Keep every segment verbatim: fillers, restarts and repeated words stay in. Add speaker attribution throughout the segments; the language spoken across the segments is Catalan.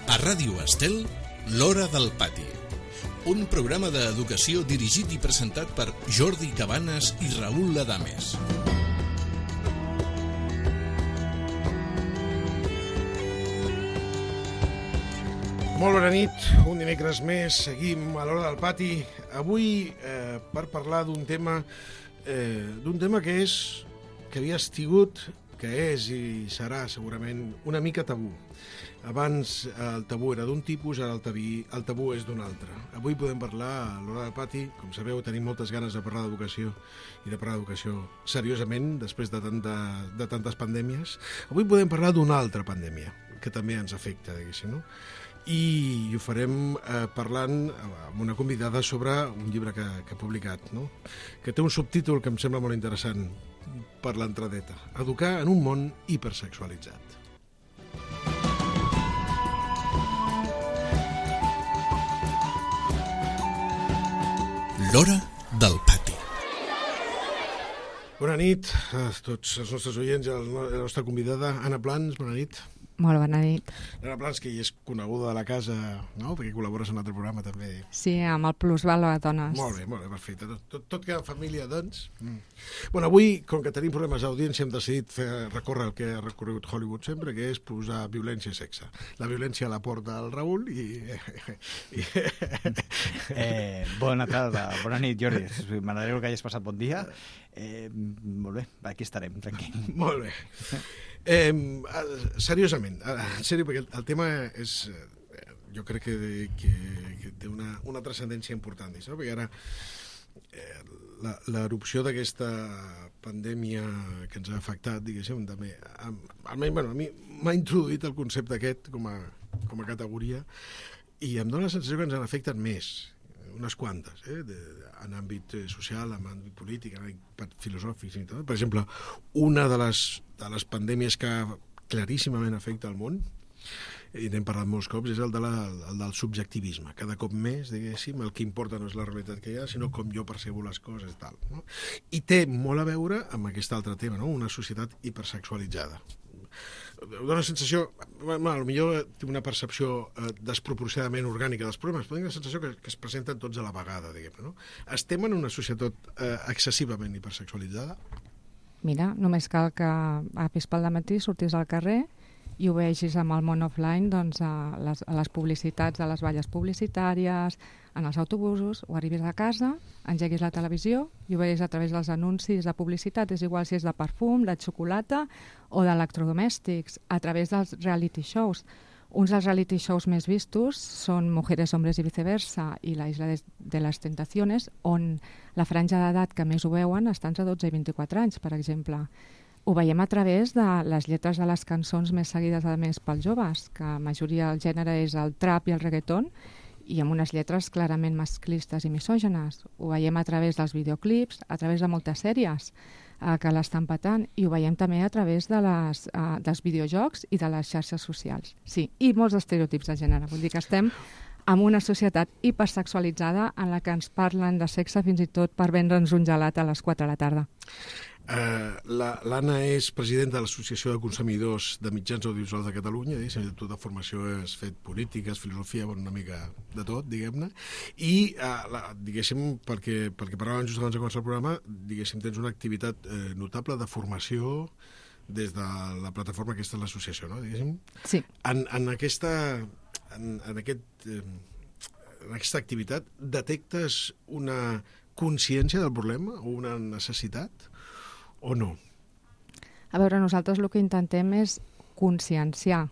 Speaker 1: A Ràdio Estel, l'Hora del Pati. Un programa d'educació dirigit i presentat per Jordi Cabanes i Raül Adames.
Speaker 2: Molt bona nit, un dimecres més, seguim a l'Hora del Pati. Avui eh, per parlar d'un tema, eh, d'un tema que és, que havia estigut, que és i serà segurament una mica tabú. Abans el tabú era d'un tipus, ara el, tabí, el tabú és d'un altre. Avui podem parlar a l'Hora del Pati, com sabeu tenim moltes ganes de parlar d'educació i de parlar d'educació seriosament després de, tanta, de tantes pandèmies. Avui podem parlar d'una altra pandèmia que també ens afecta, diguéssim, no? I ho farem eh, parlant amb una convidada sobre un llibre que, que ha publicat, no? Que té un subtítol que em sembla molt interessant per l'entradeta: Educar en un món hipersexualitzat.
Speaker 1: L'Hora del Pati.
Speaker 2: Bona nit a tots els nostres oients i a la nostra convidada, Anna Plans, bona nit.
Speaker 3: Molt bona nit.
Speaker 2: Anna Plans, que hi és coneguda de la casa, no? Perquè col·labores en un altre programa també.
Speaker 3: Sí, amb el Plusvalor a Dones.
Speaker 2: Molt bé, molt bé, perfecte. Tot, tot, tot queda en família, doncs. Mm. Bueno, avui, com que tenim problemes d'audiència, hem decidit fer recórrer el que ha recorregut Hollywood sempre, que és posar violència i sexe. La violència la porta el Raül i... i...
Speaker 4: eh, bona tarda, bona nit, Jordi. M'alegro que hagis passat bon dia. Eh, molt bé, aquí estarem, tranquil.
Speaker 2: Molt bé. Eh, seriosament, en sèrio, perquè el, el tema és, eh, jo crec que, que, que té una, una transcendència important, no? Perquè ara eh, l'erupció d'aquesta pandèmia que ens ha afectat, diguéssim, també, almenys, bueno, a mi m'ha introduït el concepte aquest com a, com a categoria i em dóna la sensació que ens en afecten més, unes quantes, eh, de, en àmbit social, en àmbit polític, en àmbit filosòfic i tot. Per exemple, una de les, de les pandèmies que claríssimament afecta el món, i n'hem parlat molts cops, és el, de la, el del subjectivisme. Cada cop més, diguéssim, el que importa no és la realitat que hi ha, sinó com jo percebo les coses, tal, no? I té molt a veure amb aquest altre tema, no? Una societat hipersexualitzada. Dóna la sensació, bueno, potser té una percepció eh, desproporcionadament orgànica dels problemes, però tinc la sensació que, que es presenten tots a la vegada, diguem-ne, no? Estem en una societat eh, excessivament hipersexualitzada?
Speaker 3: Mira, només cal que apis pel dematí, sortis al carrer i ho vegis amb el món offline, doncs, a les, a les publicitats de les valles publicitàries, en els autobusos, o arribis a casa, engeguis la televisió i ho veus a través dels anuncis de publicitat, és igual si és de perfum, de xocolata o d'electrodomèstics, a través dels reality shows. Uns dels reality shows més vistos són Mujeres, Hombres i Viceversa i La Isla de, de les Tentaciones, on la franja d'edat que més ho veuen està entre dotze i vint-i-quatre anys, per exemple. Ho veiem a través de les lletres de les cançons més seguides, a més, pels joves, que la majoria del gènere és el trap i el reggaeton, i amb unes lletres clarament masclistes i misògenes. Ho veiem a través dels videoclips, a través de moltes sèries eh, que l'estan patant, i ho veiem també a través de les, eh, dels videojocs i de les xarxes socials. Sí, i molts estereotips de gènere. Vull dir que estem en una societat hipersexualitzada en la que ens parlen de sexe fins i tot per vendre'ns un gelat a les quatre de la tarda.
Speaker 2: Uh, L'Anna és presidenta de l'Associació de Consumidors de Mitjans Audiovisuals de Catalunya, i tota formació has fet polítiques, filosofia, bueno, una mica de tot, diguem-ne, i uh, la, diguéssim, perquè, perquè parlàvem just abans de començar el programa, diguéssim, tens una activitat eh, notable de formació des de la plataforma aquesta de l'associació, no? Diguéssim.
Speaker 3: Sí.
Speaker 2: En, en aquesta en, en, aquest, eh, en aquesta activitat detectes una consciència del problema o una necessitat o no?
Speaker 3: A veure, nosaltres el que intentem és conscienciar.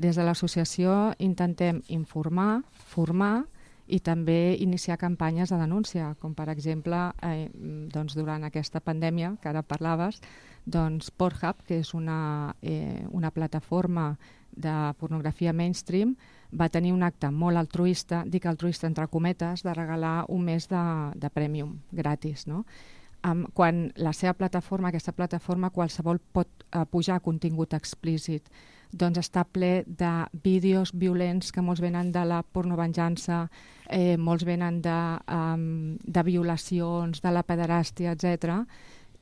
Speaker 3: Des de l'associació intentem informar, formar i també iniciar campanyes de denúncia, com per exemple, eh, doncs durant aquesta pandèmia que ara parlaves, doncs Pornhub, que és una, eh, una plataforma de pornografia mainstream, va tenir un acte molt altruista, dic altruista entre cometes, de regalar un mes de, de Premium gratis, no? Um, quan la seva plataforma, aquesta plataforma, qualsevol pot uh, pujar contingut explícit, doncs està ple de vídeos violents que molts venen de la pornovenjança, eh, molts venen de, um, de violacions, de la pederàstia, etcètera.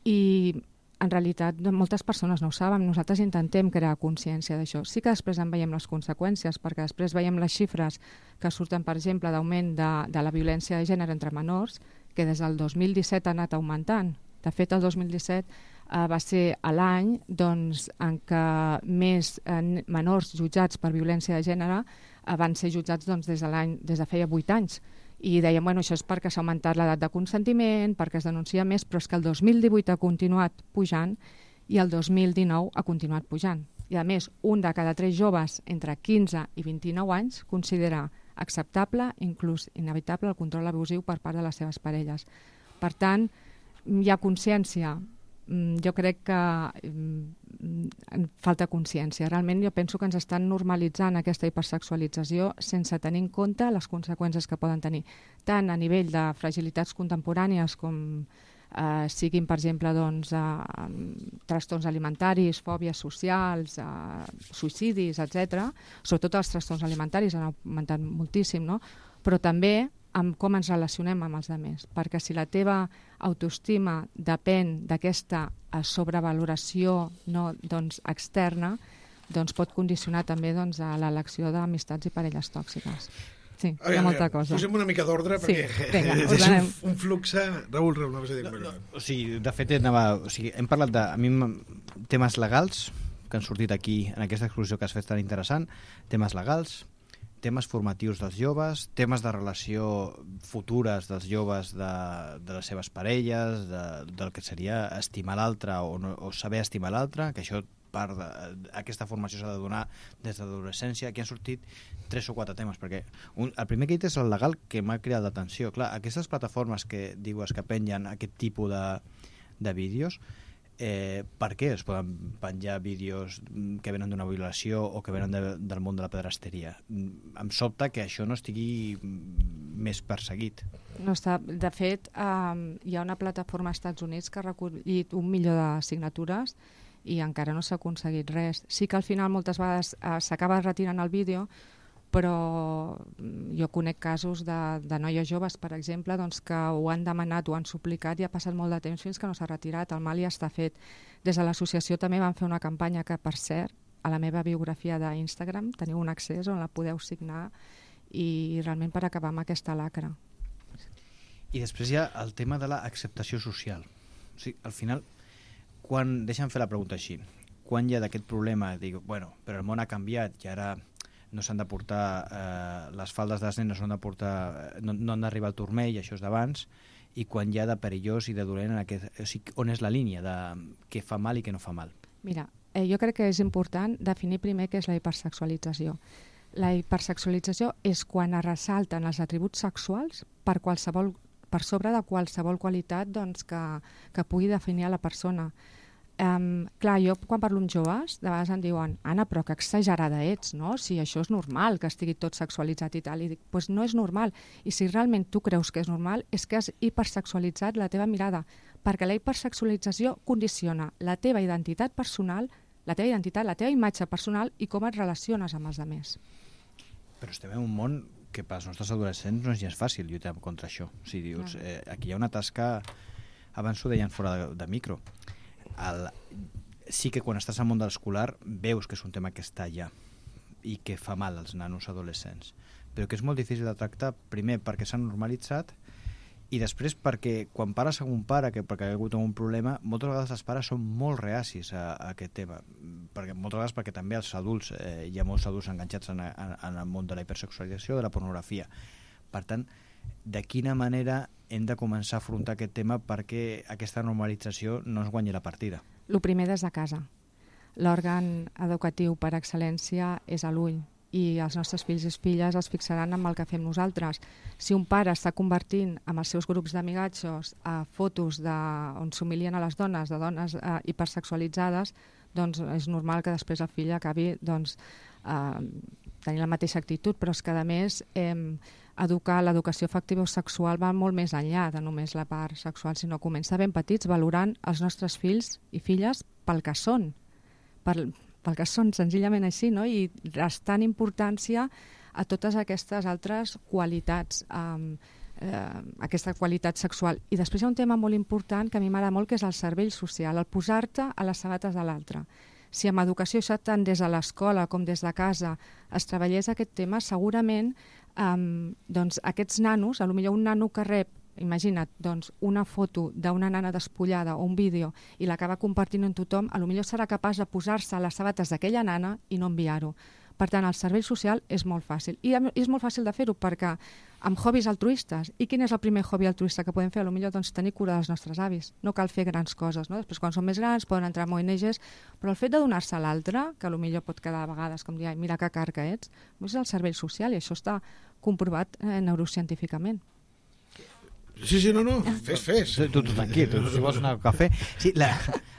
Speaker 3: I en realitat moltes persones no ho saben, nosaltres intentem crear consciència d'això. Sí que després en veiem les conseqüències, perquè després veiem les xifres que surten, per exemple, d'augment de, de la violència de gènere entre menors, que des del dos mil disset ha anat augmentant. De fet, el dos mil disset eh, va ser l'any doncs, en què més eh, menors jutjats per violència de gènere eh, van ser jutjats doncs, des de l'any des de feia vuit anys. I dèiem, bueno, això és perquè s'ha augmentat l'edat de consentiment, perquè es denuncia més, però és que el dos mil divuit ha continuat pujant i el dos mil dinou ha continuat pujant. I a més, un de cada tres joves entre quinze i vint-i-nou anys considera acceptable, inclús inevitable, el control abusiu per part de les seves parelles. Per tant, hi ha consciència. Jo crec que falta consciència. Realment jo penso que ens estan normalitzant aquesta hipersexualització sense tenir en compte les conseqüències que poden tenir, tant a nivell de fragilitats contemporànies com eh, siguin, per exemple, doncs, eh, trastorns alimentaris, fòbies socials, eh, suïcidis, etcètera. Sobretot els trastorns alimentaris han augmentat moltíssim, no? Però també amb com ens relacionem amb els altres, perquè si la teva autoestima depèn d'aquesta sobrevaloració no, doncs, externa, doncs pot condicionar també doncs, a l'elecció d'amistats i parelles tòxiques. Sí, hi ha
Speaker 2: veure,
Speaker 3: molta cosa.
Speaker 2: Posem una mica d'ordre,
Speaker 3: sí,
Speaker 2: perquè
Speaker 3: vinga,
Speaker 2: és un, un flux... Raül, Raül, no vas a dir
Speaker 4: no, no, o sigui, de fet, anava, o sigui, hem parlat de a mi, temes legals que han sortit aquí en aquesta exposició que has fet tan interessant, temes legals, temes formatius dels joves, temes de relació futures dels joves de, de les seves parelles, de, del que seria estimar l'altre o, no, o saber estimar l'altre, que això part de, aquesta formació s'ha de donar des de l'adolescència. Aquí han sortit tres o quatre temes, perquè un, el primer que he dit és el legal, que m'ha cridat l'atenció. Clar, aquestes plataformes que dius que pengen aquest tipus de, de vídeos, Eh, per què es poden penjar vídeos que venen d'una violació o que venen de, del món de la pedresteria? Em sobta que això no estigui més perseguit.
Speaker 3: No està. De fet, eh, hi ha una plataforma als Estats Units que ha recollit un milió de signatures i encara no s'ha aconseguit res. Sí que al final moltes vegades eh, s'acaba retirant el vídeo, però jo conec casos de, de noies joves, per exemple, doncs, que ho han demanat, ho han suplicat i ha passat molt de temps fins que no s'ha retirat. El mal ja està fet. Des de l'associació també van fer una campanya que, per cert, a la meva biografia d'Instagram teniu un accés on la podeu signar i realment per acabar amb aquesta lacra.
Speaker 4: I després hi ha el tema de l'acceptació social. O sigui, al final, quan, deixa'm fer la pregunta així, quan hi ha d'aquest problema, dic, bueno, però el món ha canviat i ara no s'han de portar, eh, les faldes de les nenes no han de portar, no, no han d'arribar al turmell, això és d'abans, i quan hi ha de perillós i de dolent, en aquest, o sigui, on és la línia de què fa mal i què no fa mal?
Speaker 3: Mira, eh, jo crec que és important definir primer què és la hipersexualització. La hipersexualització és quan es ressalten els atributs sexuals per, qualsevol, per sobre de qualsevol qualitat doncs, que, que pugui definir a la persona. Um, clar, jo quan parlo amb joves de vegades em diuen, Anna, però que exagerada ets, no? Si això és normal que estigui tot sexualitzat i tal, i dic, doncs pues no és normal, i si realment tu creus que és normal és que has hipersexualitzat la teva mirada, perquè la hipersexualització condiciona la teva identitat personal, la teva identitat, la teva imatge personal i com et relaciones amb els altres.
Speaker 4: Però estem en un món que pels nostres adolescents no és gens fàcil lluitar contra això. O sigui, dius, eh, aquí hi ha una tasca, abans ho deien fora de, de micro, El, sí que quan estàs al món de l'escolar veus que és un tema que està allà i que fa mal als nanos adolescents, però que és molt difícil de tractar, primer perquè s'ha normalitzat i després perquè quan pares amb un pare que perquè ha hagut un problema, moltes vegades els pares són molt reacis a, a aquest tema, perquè, moltes vegades perquè també els adults, eh, hi ha molts adults enganxats en, en, en el món de la hipersexualització, de la pornografia. Per tant, de quina manera hem de començar a afrontar aquest tema perquè aquesta normalització no es guanyi la partida?
Speaker 3: El primer des de casa. L'òrgan educatiu per excel·lència és a l'ull i els nostres fills i filles es fixaran en el que fem nosaltres. Si un pare està convertint amb els seus grups d'amigatxos a fotos de, on s'humilien a les dones, de dones eh, hipersexualitzades, doncs és normal que després el fill acabi doncs, eh, tenint la mateixa actitud, però és que a més eh, educar l'educació afectivo-sexual va molt més enllà de només la part sexual, sinó començar ben petits valorant els nostres fills i filles pel que són, pel, pel que són senzillament així, no? I restant importància a totes aquestes altres qualitats. Um, eh, aquesta qualitat sexual. I després hi ha un tema molt important que a mi m'agrada molt, que és el cervell social, el posar-te a les sabates de l'altre. Si amb educació, això tant des de l'escola com des de casa, es treballés aquest tema, segurament eh, doncs, aquests nanos, potser un nano que rep, imagina't, doncs, una foto d'una nana despullada o un vídeo i l'acaba compartint amb tothom, potser serà capaç de posar-se a les sabates d'aquella nana i no enviar-ho. Per tant, el cervell social és molt fàcil. I és molt fàcil de fer-ho perquè amb hobbies altruistes. I quin és el primer hobby altruista que podem fer? Potser doncs, tenir cura dels nostres avis. No cal fer grans coses. No? Després, quan són més grans, poden entrar en O N Ges, però el fet de donar-se a l'altre, que potser pot quedar a vegades com dir, mira que car que ets, és el cervell social i això està comprovat eh, neurocientíficament.
Speaker 2: Sí, sí, no, no, fes, fes.
Speaker 4: Tu, tu tranquil, tu, si vols anar al cafè. Sí, la,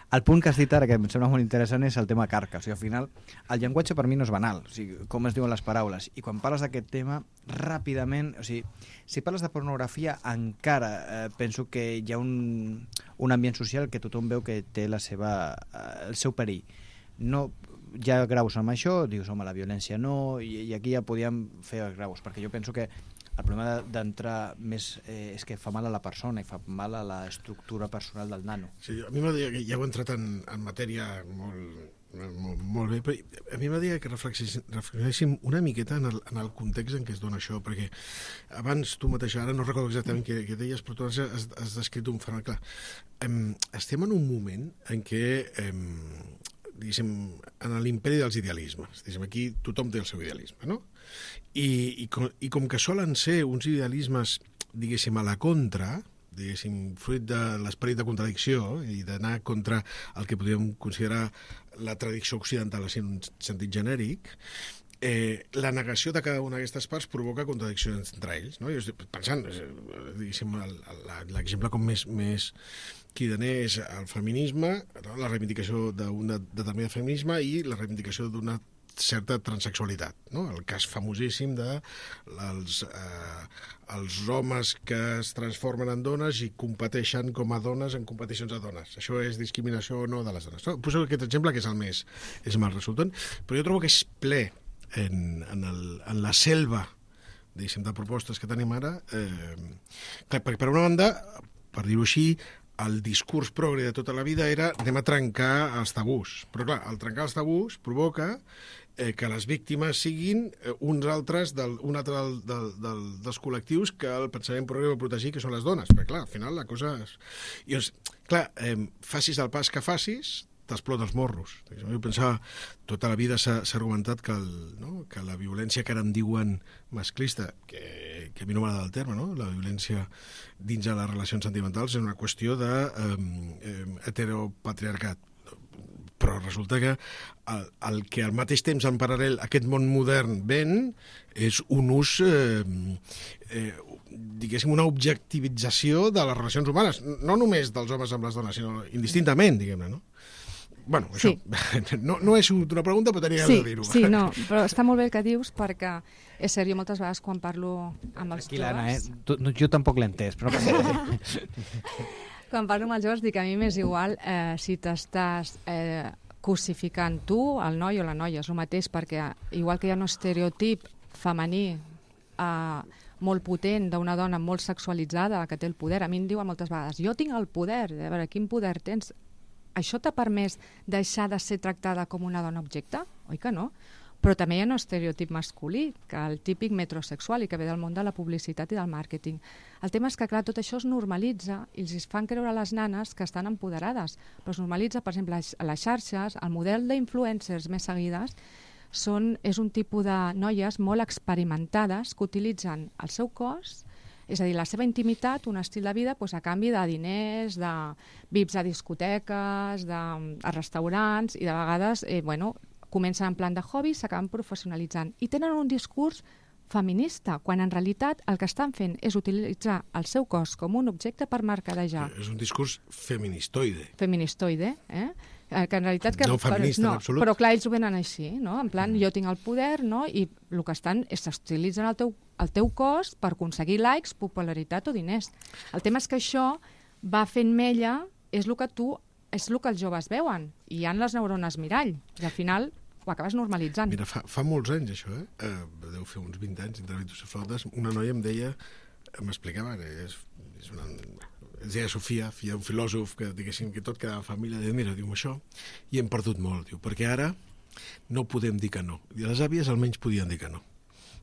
Speaker 4: el punt que has dit ara, que em sembla molt interessant, és el tema carca. O sigui, al final, el llenguatge per mi no és banal, o sigui, com es diuen les paraules. I quan parles d'aquest tema, ràpidament, o sigui, si parles de pornografia, encara eh, penso que hi ha un, un ambient social que tothom veu que té la seva, eh, el seu perill. No, hi ha graus amb això, dius, home, la violència no, i, i aquí ja podíem fer els graus, perquè jo penso que el problema d'entrar més eh, és que fa mal a la persona i fa mal a l'estructura personal del nano.
Speaker 2: Sí, a mi m'agradaria que ja heu entrat en, en matèria molt, molt, molt bé, però a mi m'agradaria que reflexionéssim una miqueta en el, en el context en què es dona això, perquè abans tu mateix, ara no recordo exactament què, què deies, però tu has, has descrit un fenomen clar. Em, estem en un moment en què em, diguéssim, en l'imperi dels idealismes. Diguéssim, aquí tothom té el seu idealisme, no? I, i, com, i com que solen ser uns idealismes, diguéssim, a la contra, diguéssim, fruit de l'esperit de contradicció i d'anar contra el que podríem considerar la tradició occidental en un sentit genèric, eh, la negació de cada una d'aquestes parts provoca contradiccions entre ells. No? Jo estic pensant, diguéssim, l'exemple com més, més cridaner és el feminisme, no? La reivindicació d'un determinat feminisme i la reivindicació d'una certa transexualitat, no? El cas famosíssim de els, eh, els homes que es transformen en dones i competeixen com a dones en competicions de dones. Això és discriminació o no de les dones. No? Poso aquest exemple que és el més, és el més resultant, però jo trobo que és ple en, en, el, en la selva, diguéssim, de propostes que tenim ara. Eh, perquè per una banda, per dir-ho així, el discurs progre de tota la vida era anem a trencar els tabús. Però clar, el trencar els tabús provoca eh, que les víctimes siguin eh, uns altres del, un altre del, del, del, dels col·lectius que el pensament progre va protegir, que són les dones. Perquè clar, al final la cosa és... I, doncs, clar, eh, facis el pas que facis, t'explota els morros. Jo pensava, tota la vida s'ha argumentat que, el, no? que la violència que ara en diuen masclista, que, que a mi no m'agrada el terme, no? La violència dins de les relacions sentimentals és una qüestió de eh, eh, heteropatriarcat. Però resulta que el, el que al mateix temps en paral·lel aquest món modern ven és un ús, eh, eh, diguéssim, una objectivització de les relacions humanes, no només dels homes amb les dones, sinó indistintament, diguem-ne, no? Bueno, això sí. no, no és una pregunta, però tenia
Speaker 3: sí,
Speaker 2: de dir-ho.
Speaker 3: Sí, no, però està molt bé el que dius, perquè és cert, jo moltes vegades quan parlo amb els
Speaker 4: Tranquil·la,
Speaker 3: joves...
Speaker 4: Anna, eh? Tu, no, jo tampoc l'he entès, però no passa res.
Speaker 3: Quan parlo amb els joves dic que a mi m'és igual eh, si t'estàs eh, cosificant tu, el noi o la noia, és el mateix, perquè igual que hi ha un estereotip femení eh, molt potent d'una dona molt sexualitzada que té el poder, a mi em diuen moltes vegades jo tinc el poder, a veure, quin poder tens? Això t'ha permès deixar de ser tractada com una dona objecte? Oi que no? Però també hi ha un estereotip masculí, que el típic metrosexual i que ve del món de la publicitat i del màrqueting. El tema és que, clar, tot això es normalitza i els fan creure a les nanes que estan empoderades. Però es normalitza, per exemple, a les xarxes, el model d'influencers més seguides són, és un tipus de noies molt experimentades que utilitzen el seu cos, és a dir, la seva intimitat, un estil de vida, doncs, a canvi de diners, de V I Ps a discoteques, de, a restaurants, i de vegades eh, bueno, comencen en plan de hobby, s'acaben professionalitzant. I tenen un discurs feminista, quan en realitat el que estan fent és utilitzar el seu cos com un objecte per mercadejar.
Speaker 2: És un discurs feministoide.
Speaker 3: Feministoide, eh? Que en realitat... Que,
Speaker 2: no feminista,
Speaker 3: no,
Speaker 2: en absolut.
Speaker 3: Però clar, ells ho venen així, no? En plan, mm. jo tinc el poder, no? I el que estan és s'utilitzen el teu, el teu cos per aconseguir likes, popularitat o diners. El tema és que això va fent mella, és el que tu, és el que els joves veuen, i hi ha les neurones mirall, i al final ho acabes normalitzant.
Speaker 2: Mira, fa, fa molts anys això, eh? eh deu fer uns vint anys, entre Vitus i Flautes, una noia em deia m'explicava, és, és una... Es deia Sofia, filla d'un filòsof que, diguéssim, que tot quedava família, deia, mira, diu, això, i hem perdut molt, diu, perquè ara no podem dir que no. I les àvies almenys podien dir que no.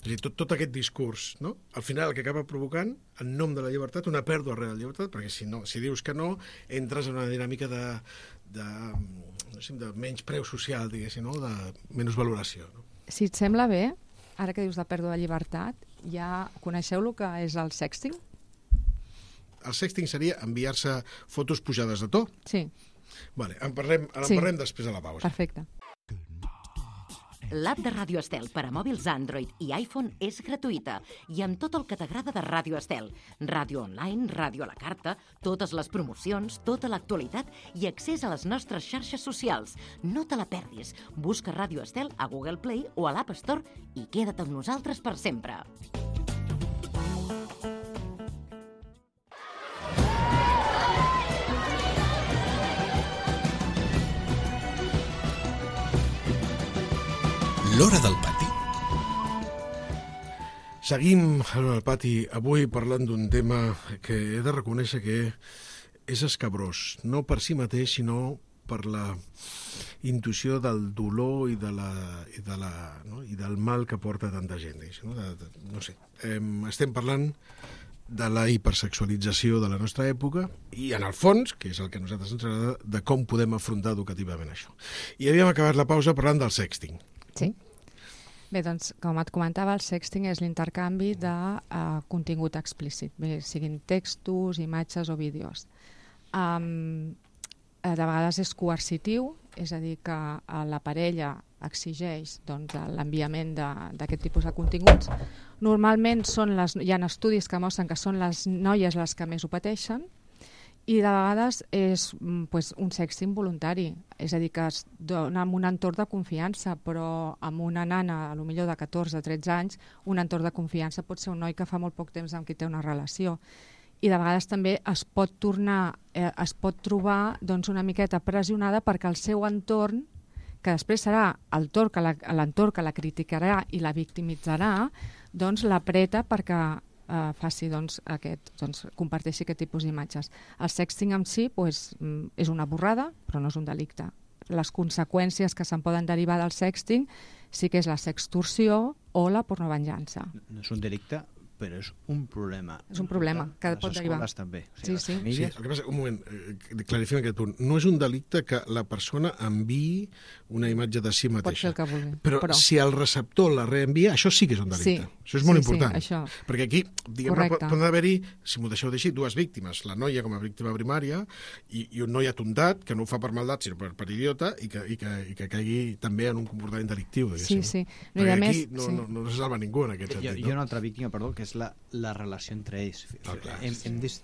Speaker 2: És a dir, tot, tot aquest discurs, no? Al final el que acaba provocant, en nom de la llibertat, una pèrdua real de llibertat, perquè si, no, si dius que no, entres en una dinàmica de, de, no sé, de menys preu social, diguéssim, no? De menys valoració. No?
Speaker 3: Si et sembla bé, ara que dius de pèrdua de llibertat, ja coneixeu el que és el sexting?
Speaker 2: El sexting seria enviar-se fotos pujades de to?
Speaker 3: Sí.
Speaker 2: Vale, en parlem, en
Speaker 3: sí.
Speaker 2: parlem després de la pausa.
Speaker 3: Perfecte.
Speaker 5: L'app de Ràdio Estel per a mòbils Android i iPhone és gratuïta i amb tot el que t'agrada de Ràdio Estel. Ràdio online, ràdio a la carta, totes les promocions, tota l'actualitat i accés a les nostres xarxes socials. No te la perdis. Busca Ràdio Estel a Google Play o a l'App Store i queda't amb nosaltres per sempre.
Speaker 1: L'Hora del Pati.
Speaker 2: Seguim a l'Hora del Pati, avui parlant d'un tema que he de reconèixer que és escabrós, no per si mateix, sinó per la intuïció del dolor i, de la, i, de la, no? i del mal que porta tanta gent. No, de, de, no sé. Eh, estem parlant de la hipersexualització de la nostra època i, en el fons, que és el que a nosaltres ens agrada, de com podem afrontar educativament això. I havíem acabat la pausa parlant del sexting.
Speaker 3: Sí. Bé, doncs, com et comentava, el sexting és l'intercanvi de uh, contingut explícit, bé, siguin textos, imatges o vídeos. Um, de vegades és coercitiu, és a dir, que uh, la parella exigeix doncs, l'enviament d'aquest tipus de continguts. Normalment són les, hi ha estudis que mostren que són les noies les que més ho pateixen, i de vegades és pues, un sexting voluntari, és a dir, que es dona en un entorn de confiança, però amb una nana, a lo millor de catorze a tretze anys, un entorn de confiança pot ser un noi que fa molt poc temps amb qui té una relació. I de vegades també es pot tornar, eh, es pot trobar doncs, una miqueta pressionada perquè el seu entorn, que després serà l'entorn que, la, que la criticarà i la victimitzarà, doncs l'apreta perquè Uh, faci, doncs, aquest, doncs, comparteixi aquest tipus d'imatges. El sexting en si pues, és una borrada, però no és un delicte. Les conseqüències que se'n poden derivar del sexting sí que és la sextorsió o la pornovenjança.
Speaker 4: No és un delicte, però és un problema.
Speaker 3: És un problema que
Speaker 4: les
Speaker 3: pot derivar.
Speaker 4: Les escoles també. O sigui,
Speaker 3: sí,
Speaker 4: les
Speaker 3: sí.
Speaker 4: famílies...
Speaker 2: Sí, el que passa, un moment, eh, clarifiem aquest punt. No és un delicte que la persona enviï una imatge de si mateixa.
Speaker 3: Pot ser el que vulgui.
Speaker 2: Però, però si el receptor la reenvia, això sí que és un delicte.
Speaker 3: Sí,
Speaker 2: això és molt
Speaker 3: sí,
Speaker 2: important.
Speaker 3: Sí, això.
Speaker 2: Perquè aquí, diguem-ne, poden haver-hi, si m'ho deixeu dir, dues víctimes. La noia com a víctima primària i, i un noi atondat, que no ho fa per maldat, sinó per, per idiota, i que, i, que, i que caigui també en un comportament delictiu.
Speaker 3: Sí, sí.
Speaker 2: No, perquè
Speaker 3: aquí
Speaker 2: més, no, sí. no, no se salva ningú en aquest sentit.
Speaker 4: Hi ha una altra víctima, perdó, que és la, la relació entre ells.
Speaker 2: Ah, clar,
Speaker 4: hem,
Speaker 2: sí.
Speaker 4: hem, dis,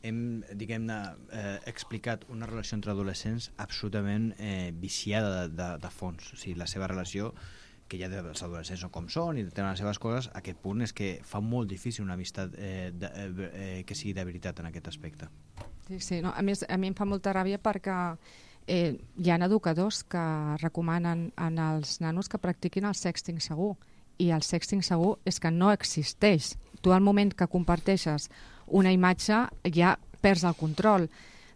Speaker 4: hem diguem-ne, eh, explicat una relació entre adolescents absolutament eh, viciada de, de, de fons. O sigui, la seva relació, que ja els adolescents són com són i tenen les seves coses, aquest punt és que fa molt difícil una amistat eh, de, eh, que sigui de veritat en aquest aspecte.
Speaker 3: Sí, sí. No, a més, a mi em fa molta ràbia perquè eh, hi ha educadors que recomanen en els nanos que practiquin el sexting segur, i el sexting segur és que no existeix. Tu al moment que comparteixes una imatge ja perds el control.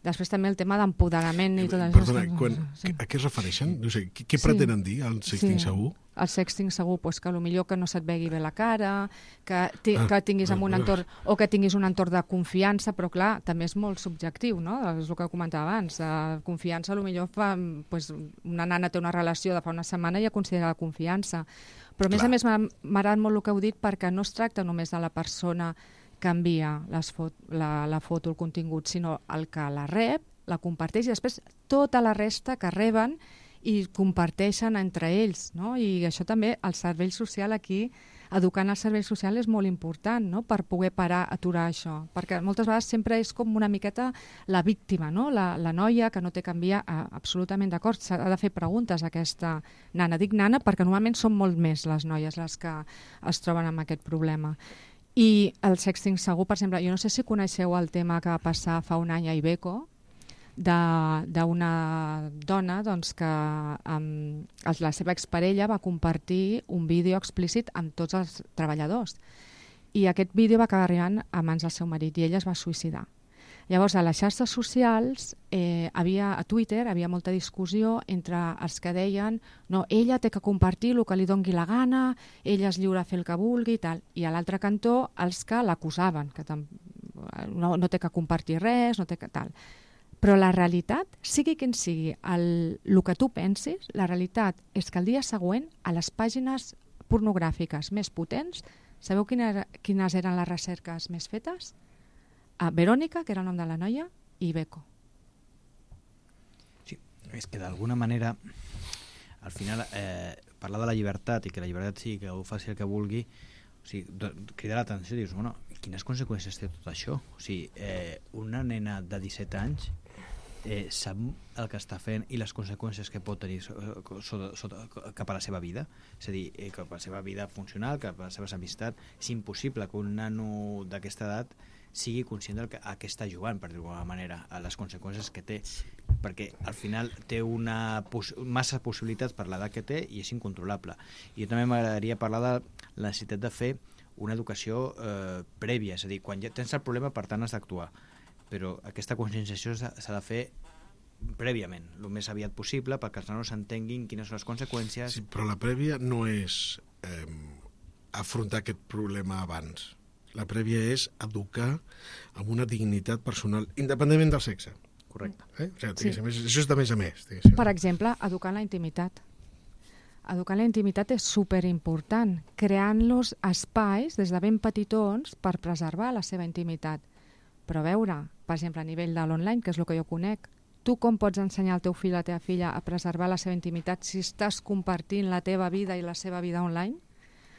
Speaker 3: Després també el tema d'empoderament i tot això.
Speaker 2: Perdona, quan, sí. a què es refereixen? No sé, què, què pretenen sí. dir, el sexting sí. segur?
Speaker 3: El sexting segur, pues, que potser que no se't vegi bé la cara, que, ti, ah, que tinguis ah, un entorn, o que tinguis un entorn de confiança, però clar, també és molt subjectiu, no? És el que comentava abans. Uh, confiança, potser fa, pues, una nana té una relació de fa una setmana i ja considera la confiança. Però a més clar. a més m'ha agradat molt el que heu dit perquè no es tracta només de la persona que envia les fot la, la foto, el contingut, sinó el que la rep, la comparteix i després tota la resta que reben i comparteixen entre ells, no? I això també, el servei social aquí, educant el servei social és molt important, no? Per poder parar, aturar això, perquè moltes vegades sempre és com una miqueta la víctima, no? La, la noia que no té que enviar, absolutament d'acord, s'ha de fer preguntes a aquesta nana. Dic nana perquè normalment són molt més les noies les que es troben amb aquest problema. I el sexting segur, per exemple, jo no sé si coneixeu el tema que va passar fa un any a Iveco, d'una dona doncs, que um, la seva exparella va compartir un vídeo explícit amb tots els treballadors. i aquest vídeo va acabar arribant a mans del seu marit i ella es va suïcidar. Llavors, a les xarxes socials, eh, havia, a Twitter, havia molta discussió entre els que deien no, ella té que compartir el que li dongui la gana, ella és lliure a fer el que vulgui i tal. I a l'altre cantó, els que l'acusaven, que tam... no, no té que compartir res, no té que tal. Però la realitat, sigui quin sigui el, el que tu pensis, la realitat és que el dia següent, a les pàgines pornogràfiques més potents, sabeu quines, quines eren les recerques més fetes? A Verònica, que era el nom de la noia, i Beco.
Speaker 4: Sí, és que d'alguna manera, al final, eh, parlar de la llibertat i que la llibertat sigui que ho faci el que vulgui, o sigui, cridar l'atenció i dius, bueno, quines conseqüències té tot això? O sigui, eh, una nena de disset anys eh, sap el que està fent i les conseqüències que pot tenir sota, sota, cap a la seva vida, és a dir, eh, cap a la seva vida funcional, cap a les seves amistats. És impossible que un nano d'aquesta edat sigui conscient del que, a què està jugant, per dir-ho d'alguna manera, a les conseqüències que té, perquè al final té una poss massa possibilitats per l'edat que té i és incontrolable. I jo també m'agradaria parlar de la necessitat de fer una educació eh, prèvia, és a dir, quan ja tens el problema, per tant has d'actuar, però aquesta conscienciació s'ha de fer prèviament, el més aviat possible, perquè els nanos entenguin quines són les conseqüències.
Speaker 2: Sí, però la prèvia no és eh, afrontar aquest problema abans. La prèvia és educar amb una dignitat personal, independentment del sexe.
Speaker 4: Correcte.
Speaker 2: Eh? O sigui,
Speaker 3: Sí.
Speaker 2: això és de més a més. Diguéssim.
Speaker 3: Per exemple, educar en la intimitat. Educar en la intimitat és superimportant, creant-los espais des de ben petitons per preservar la seva intimitat. Però a veure, per exemple, a nivell de l'online, que és el que jo conec, tu com pots ensenyar al teu fill o a la teva filla a preservar la seva intimitat si estàs compartint la teva vida i la seva vida online?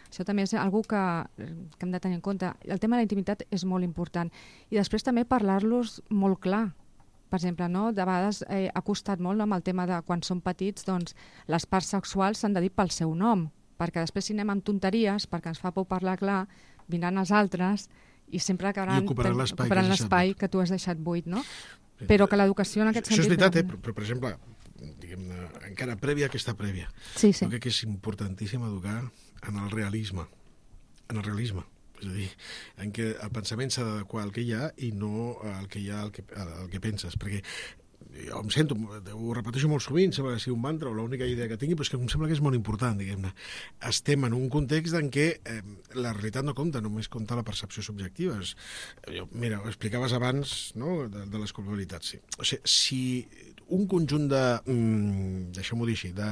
Speaker 3: Això també és una que, que hem de tenir en compte. El tema de la intimitat és molt important. I després també parlar-los molt clar. Per exemple, no? De vegades eh, ha costat molt, no? Amb el tema de quan són petits, doncs, les parts sexuals s'han de dir pel seu nom, perquè després si anem amb tonteries, perquè ens fa por parlar clar, vindran els altres i sempre acabaran
Speaker 2: ocuparan
Speaker 3: l'espai que, que tu has deixat buit, no? Però que l'educació en aquest
Speaker 2: sentit... Això és
Speaker 3: sentit...
Speaker 2: veritat, eh? però, però, per exemple, diguem-ne, encara prèvia a aquesta prèvia,
Speaker 3: sí, sí.
Speaker 2: jo crec que és importantíssim educar en el realisme, en el realisme, és a dir, en què el pensament s'ha d'adequar al que hi ha i no al que hi ha al que, al que penses, perquè jo em sento, ho repeteixo molt sovint, sembla que sigui un mantra o l'única idea que tingui, però és que em sembla que és molt important, diguem-ne. Estem en un context en què eh, la realitat no compta, només compta la percepció subjectiva. És, jo, mira, ho explicaves abans, no?, de, de les culpabilitats. Sí. O sigui, si un conjunt de, mm, deixem-ho dir així, de,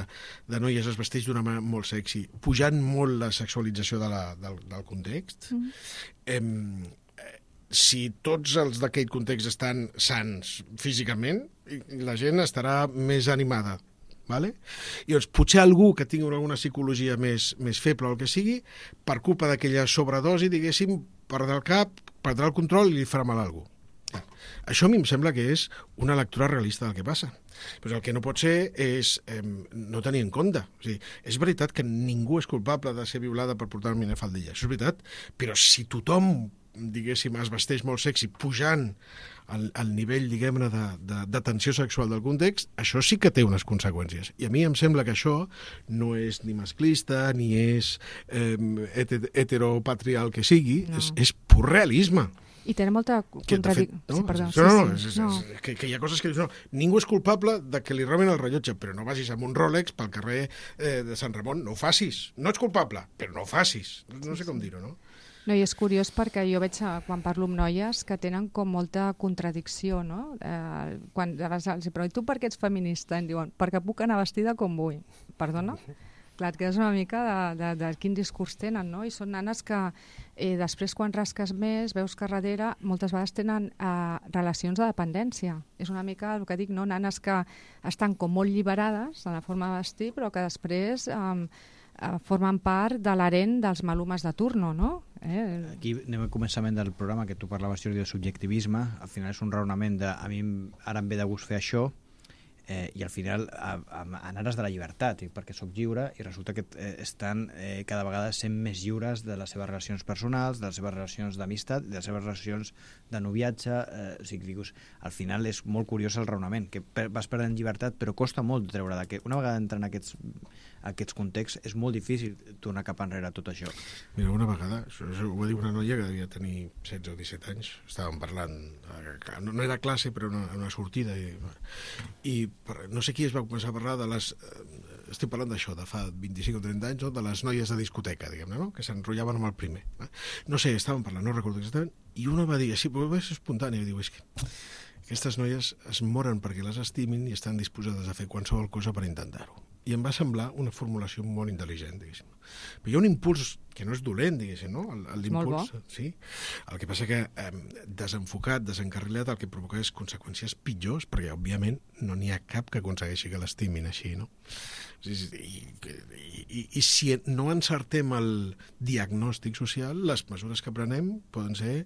Speaker 2: de noies es vesteix d'una manera molt sexy, pujant molt la sexualització de la, del, del context, mm. eh, si tots els d'aquell context estan sants físicament, la gent estarà més animada. Vale? I doncs potser algú que tingui alguna psicologia més, més feble o el que sigui, per culpa d'aquella sobredosi, diguéssim, perdrà el cap, perdrà el control i li farà mal a algú. Això a mi em sembla que és una lectura realista del que passa. Però el que no pot ser és eh, no tenir en compte. O sigui, és veritat que ningú és culpable de ser violada per portar una minifaldilla, això és veritat, però si tothom, diguéssim, es vesteix molt sexy pujant al, al nivell, diguem-ne, de, de, de tensió sexual del context, això sí que té unes conseqüències. I a mi em sembla que això no és ni masclista, ni és eh, heteropatrial que sigui, no. és, és pur realisme.
Speaker 3: I tenen molta contradicció.
Speaker 2: No?
Speaker 3: Sí, perdó.
Speaker 2: No, no,
Speaker 3: sí,
Speaker 2: és,
Speaker 3: sí, no.
Speaker 2: És, és, que, que hi ha coses que dius, no, ningú és culpable de que li roben el rellotge, però no vagis amb un Rolex pel carrer eh, de Sant Ramon, no ho facis. No ets culpable, però no ho facis. No sé com dir-ho, no?
Speaker 3: No, i és curiós perquè jo veig, quan parlo amb noies, que tenen com molta contradicció, no? Eh, quan els pregunto, tu per què ets feminista? Em diuen, perquè puc anar vestida com vull. Perdona? Clar, et quedes una mica de, de, de quin discurs tenen, no? I són nanes que eh, després, quan rasques més, veus que darrere moltes vegades tenen eh, relacions de dependència. És una mica el que dic, no? Nanes que estan com molt lliberades en la forma de vestir, però que després eh, eh, formen part de l'harent dels malumes de turno, no? Eh?
Speaker 4: Aquí anem al començament del programa, que tu parlaves, Jordi, de subjectivisme. Al final és un raonament de, a mi ara em ve de gust fer això, eh, i al final a, a, en ares de la llibertat, perquè sóc lliure i resulta que eh, estan eh, cada vegada sent més lliures de les seves relacions personals, de les seves relacions d'amistat, de les seves relacions de noviatge, eh, o sigui, dius, al final és molt curiós el raonament, que per, vas perdent llibertat però costa molt treure de que una vegada entra en aquests, aquests contexts és molt difícil tornar cap enrere tot això.
Speaker 2: Mira, una vegada, això, això ho va dir una noia que devia tenir setze o disset anys, estàvem parlant, no, no era classe però una, una sortida i, i no sé qui es va començar a parlar de les... Estic parlant d'això, de fa vint-i-cinc o trenta anys, no? De les noies de discoteca, diguem-ne, no? Que s'enrotllaven amb el primer. Eh? No sé, estàvem parlant, no recordo exactament, i una va dir, sí, però va ser espontani, i diu, és que aquestes noies es moren perquè les estimin i estan disposades a fer qualsevol cosa per intentar-ho. I em va semblar una formulació molt intel·ligent, diguéssim. Però hi ha un impuls que no és dolent, diguéssim, no? El, el
Speaker 3: molt bo.
Speaker 2: Sí. El que passa que eh, desenfocat, desencarrilat, el que provoca és conseqüències pitjors, perquè, òbviament, no n'hi ha cap que aconsegueixi que l'estimin així, no? I, i, i, I si no encertem el diagnòstic social, les mesures que prenem poden ser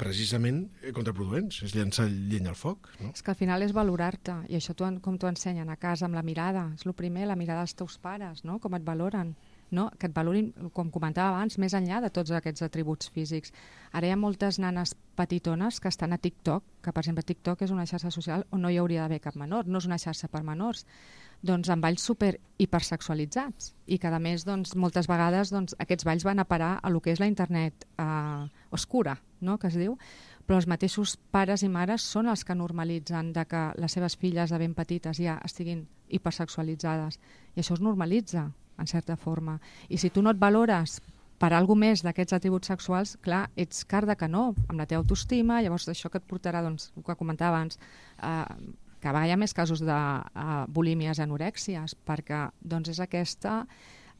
Speaker 2: precisament contraproduents, és llançar llenya al foc. No?
Speaker 3: És que al final és valorar-te, i això tu, com t'ho ensenyen a casa amb la mirada, és el primer, la mirada dels teus pares, no? Com et valoren, no? Que et valorin, com comentava abans, més enllà de tots aquests atributs físics. Ara hi ha moltes nanes petitones que estan a TikTok, que per exemple TikTok és una xarxa social on no hi hauria d'haver cap menor, no és una xarxa per menors, doncs amb balls super hipersexualitzats i que a més doncs, moltes vegades doncs, aquests balls van a parar a lo que és la internet eh, oscura, no? Que es diu, però els mateixos pares i mares són els que normalitzen de que les seves filles de ben petites ja estiguin hipersexualitzades i això es normalitza en certa forma i si tu no et valores per alguna més d'aquests atributs sexuals, clar, ets car de canó amb la teva autoestima, llavors això que et portarà, doncs, el que comentava abans, eh, que a vegades hi ha més casos de uh, bulímies i anorèxies, perquè doncs, és aquesta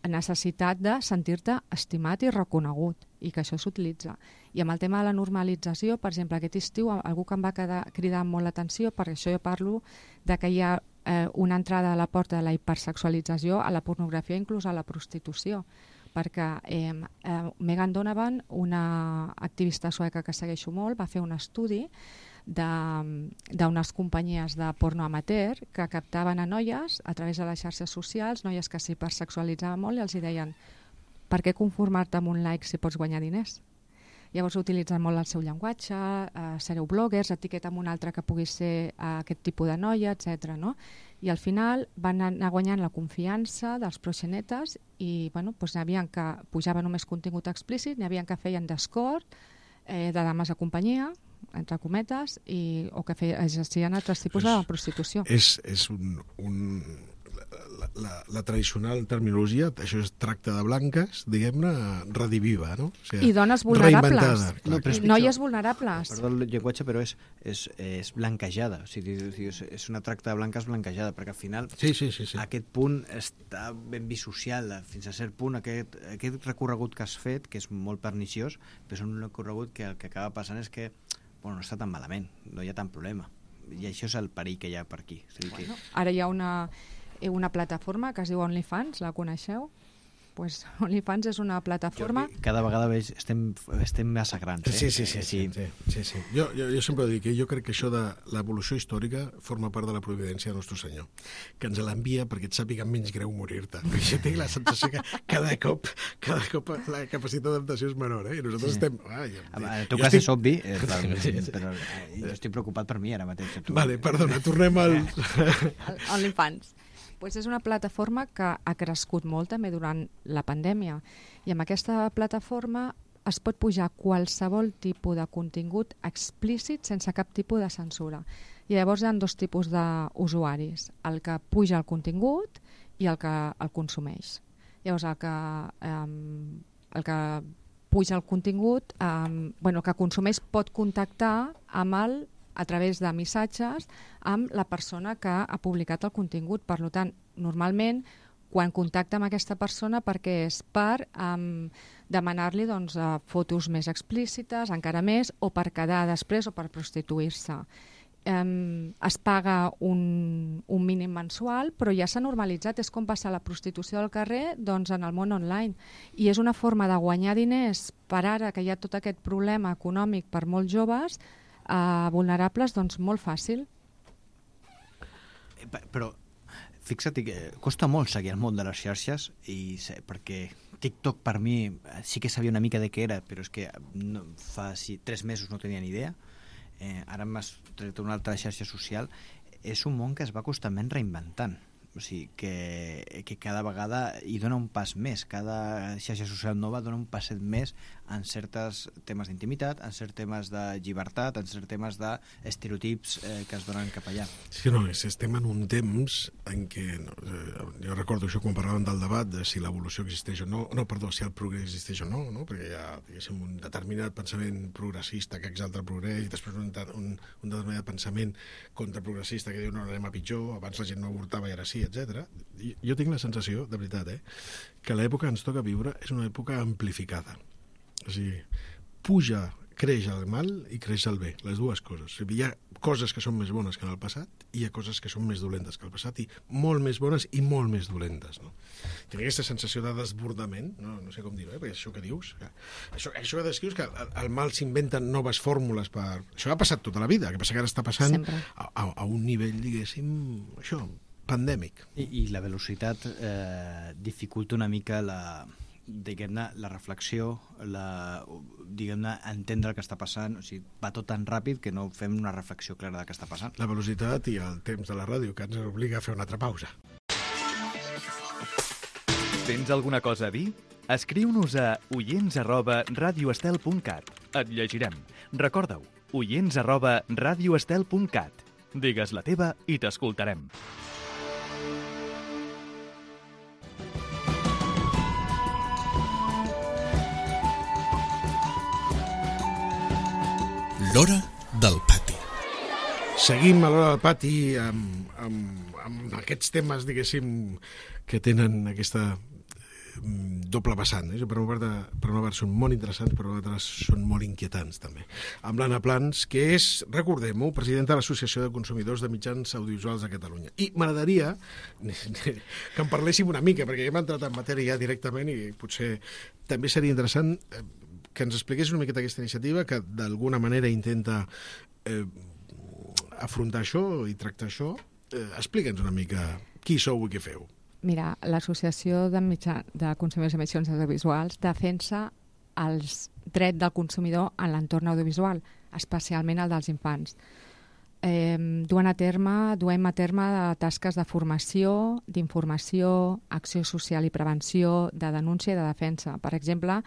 Speaker 3: necessitat de sentir-te estimat i reconegut, i que això s'utilitza. I amb el tema de la normalització, per exemple, aquest estiu, algú que em va quedar, cridar molt l'atenció, per això jo parlo de que hi ha eh, una entrada a la porta de la hipersexualització a la pornografia, inclús a la prostitució, perquè eh, eh, Megan Donovan, una activista sueca que segueixo molt, va fer un estudi d'unes companyies de porno amateur que captaven a noies a través de les xarxes socials, noies que s'hipersexualitzaven molt i els hi deien per què conformar-te amb un like si pots guanyar diners? Llavors utilitzen molt el seu llenguatge, eh, sereu bloggers, etiqueta amb un altre que pugui ser eh, aquest tipus de noia, etcètera. No? I al final van anar guanyant la confiança dels proxenetes i bueno, doncs n'hi havia que pujava només contingut explícit, n'hi havia que feien d'escort, eh, de dames de companyia, entre cometes, i, o que feia, exercien altres tipus és, de prostitució.
Speaker 2: És, és un... un la, la, la tradicional terminologia, això és tracte de blanques, diguem-ne, rediviva, no? O sigui,
Speaker 3: I dones vulnerables.
Speaker 2: No,
Speaker 3: I noies vulnerables.
Speaker 4: Perdó el llenguatge, però és, és, és blanquejada. O sigui, és una tracta de blanques blanquejada, perquè al final
Speaker 2: sí, sí, sí, sí.
Speaker 4: aquest punt està ben bisocial, fins a cert punt, aquest, aquest recorregut que has fet, que és molt perniciós, però és un recorregut que el que acaba passant és que bueno, no està tan malament, no hi ha tant problema. I això és el perill que hi ha per aquí. O sigui
Speaker 3: bueno,
Speaker 4: que...
Speaker 3: Ara hi ha una, una plataforma que es diu OnlyFans, la coneixeu? Pues OnlyFans és una plataforma...
Speaker 4: Jo, cada vegada veig, estem, estem massa grans. Eh?
Speaker 2: Sí, sí, sí. sí, sí, sí, sí. Jo, jo, jo sempre dic que jo crec que això de l'evolució històrica forma part de la providència de Nostre Senyor, que ens l'envia perquè et sàpiga menys greu morir-te. Jo tinc la sensació que cada cop, cada cop la capacitat d'adaptació és menor, eh? I nosaltres sí. estem... Ah, jo,
Speaker 4: en el teu cas estic... és obvi, eh, clar, però eh, jo estic preocupat per mi ara mateix. Tu...
Speaker 2: Vale, perdona, tornem al...
Speaker 3: OnlyFans. Pues és una plataforma que ha crescut molt també durant la pandèmia i amb aquesta plataforma es pot pujar qualsevol tipus de contingut explícit sense cap tipus de censura. I llavors hi ha dos tipus d'usuaris, el que puja el contingut i el que el consumeix. Llavors el que, um, el que puja el contingut, um, bueno, el que consumeix pot contactar amb el a través de missatges amb la persona que ha publicat el contingut. Per tant, normalment, quan contacta amb aquesta persona perquè és per um, demanar-li doncs, uh, fotos més explícites, encara més, o per quedar després o per prostituir-se. Um, es paga un, un mínim mensual, però ja s'ha normalitzat, és com passar la prostitució del carrer doncs, en el món online. I és una forma de guanyar diners per ara que hi ha tot aquest problema econòmic per molts joves, Uh, vulnerables, doncs molt fàcil.
Speaker 4: Però fixa't que costa molt seguir el món de les xarxes i sé, perquè TikTok per mi sí que sabia una mica de què era, però és que no, fa sí, tres mesos no tenia ni idea. Eh, ara m'has tret una altra xarxa social. És un món que es va constantment reinventant. O sigui, que, que cada vegada hi dona un pas més. Cada xarxa social nova dona un passet més en certs temes d'intimitat, en certs temes de llibertat, en certs temes d'estereotips eh, que es donen cap allà.
Speaker 2: Sí, no, és, estem en un temps en què, no, eh, jo recordo això quan parlàvem del debat de si l'evolució existeix o no, no, perdó, si el progrés existeix o no, no? Perquè hi ha, diguéssim, un determinat pensament progressista que exalta el progrés i després un, un, un determinat pensament contraprogressista que diu no, anem a pitjor, abans la gent no avortava i ara sí, etcètera. Jo tinc la sensació, de veritat, eh, que l'època que ens toca viure és una època amplificada. O sigui, puja, creix el mal i creix el bé, les dues coses. O sigui, hi ha coses que són més bones que en el passat i hi ha coses que són més dolentes que el passat i molt més bones i molt més dolentes. No? Tinc aquesta sensació de desbordament, no, no sé com dir-ho, eh, perquè això que dius, que, això, això que descrius, que el, el mal s'inventen noves fórmules per... Això ha passat tota la vida, que passa que ara està passant a, a, a un nivell, diguéssim, això, pandèmic.
Speaker 4: I, i la velocitat eh, dificulta una mica la, diguem-ne, la reflexió, la, diguem-ne, entendre el que està passant. O sigui, va tot tan ràpid que no fem una reflexió clara del que està passant.
Speaker 2: La velocitat i el temps de la ràdio, que ens obliga a fer una altra pausa.
Speaker 6: Tens alguna cosa a dir? Escriu-nos a oients arroba radioestel punt cat. Et llegirem. Recorda-ho, oients arroba radioestel punt cat. Digues la teva i t'escoltarem.
Speaker 1: L'hora del pati.
Speaker 2: Seguim a l'hora del pati amb, amb, amb aquests temes, diguéssim, que tenen aquesta doble vessant. Eh? Per una part, de, per una part són molt interessants, per una altra són molt inquietants també. Amb l'Anna Plans, que és, recordem-ho, presidenta de l'Associació de Consumidors de Mitjans Audiovisuals de Catalunya. I m'agradaria que en parléssim una mica, perquè hem entrat en matèria ja directament i potser també seria interessant que ens expliqués una miqueta aquesta iniciativa que d'alguna manera intenta eh, afrontar això i tractar això. Eh, Explica'ns una mica qui sou i què feu.
Speaker 3: Mira, l'Associació de, mitjà, de Consumidors de Mitjans Audiovisuals defensa els drets del consumidor en l'entorn audiovisual, especialment el dels infants. Eh, duen a terme, duem a terme tasques de formació, d'informació, acció social i prevenció, de denúncia i de defensa. Per exemple,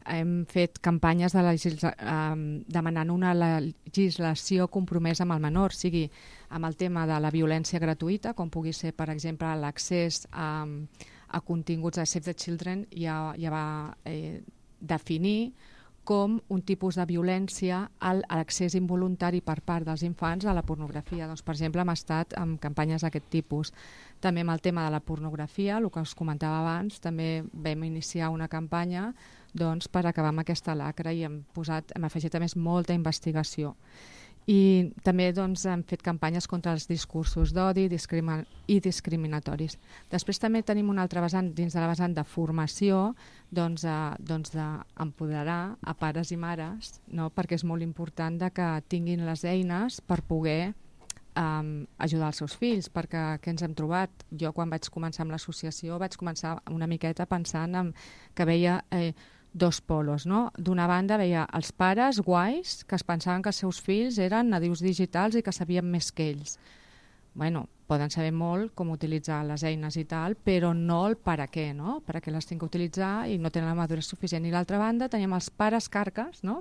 Speaker 3: hem fet campanyes de legisla... eh, demanant una legislació compromesa amb el menor, sigui amb el tema de la violència gratuïta, com pugui ser, per exemple, l'accés a, a continguts de Save the Children, ja, ja va eh, definir com un tipus de violència a l'accés involuntari per part dels infants a la pornografia. Doncs, per exemple, hem estat amb campanyes d'aquest tipus. També amb el tema de la pornografia, el que us comentava abans, també vam iniciar una campanya doncs, per acabar amb aquesta lacra i hem, posat, hem afegit a més molta investigació. I també doncs, hem fet campanyes contra els discursos d'odi discrimin i discriminatoris. Després també tenim un altre vessant, dins de la vessant de formació, doncs, eh, doncs d'empoderar a pares i mares, no? Perquè és molt important de que tinguin les eines per poder um, ajudar els seus fills, perquè què ens hem trobat? Jo quan vaig començar amb l'associació vaig començar una miqueta pensant en que veia... Eh, dos polos, no? D'una banda veia els pares guais que es pensaven que els seus fills eren nadius digitals i que sabien més que ells. Bueno, poden saber molt com utilitzar les eines i tal, però no el per a què, no? Per a què les tinc que utilitzar i no tenen la maduresa suficient. I l'altra banda teníem els pares carques, no?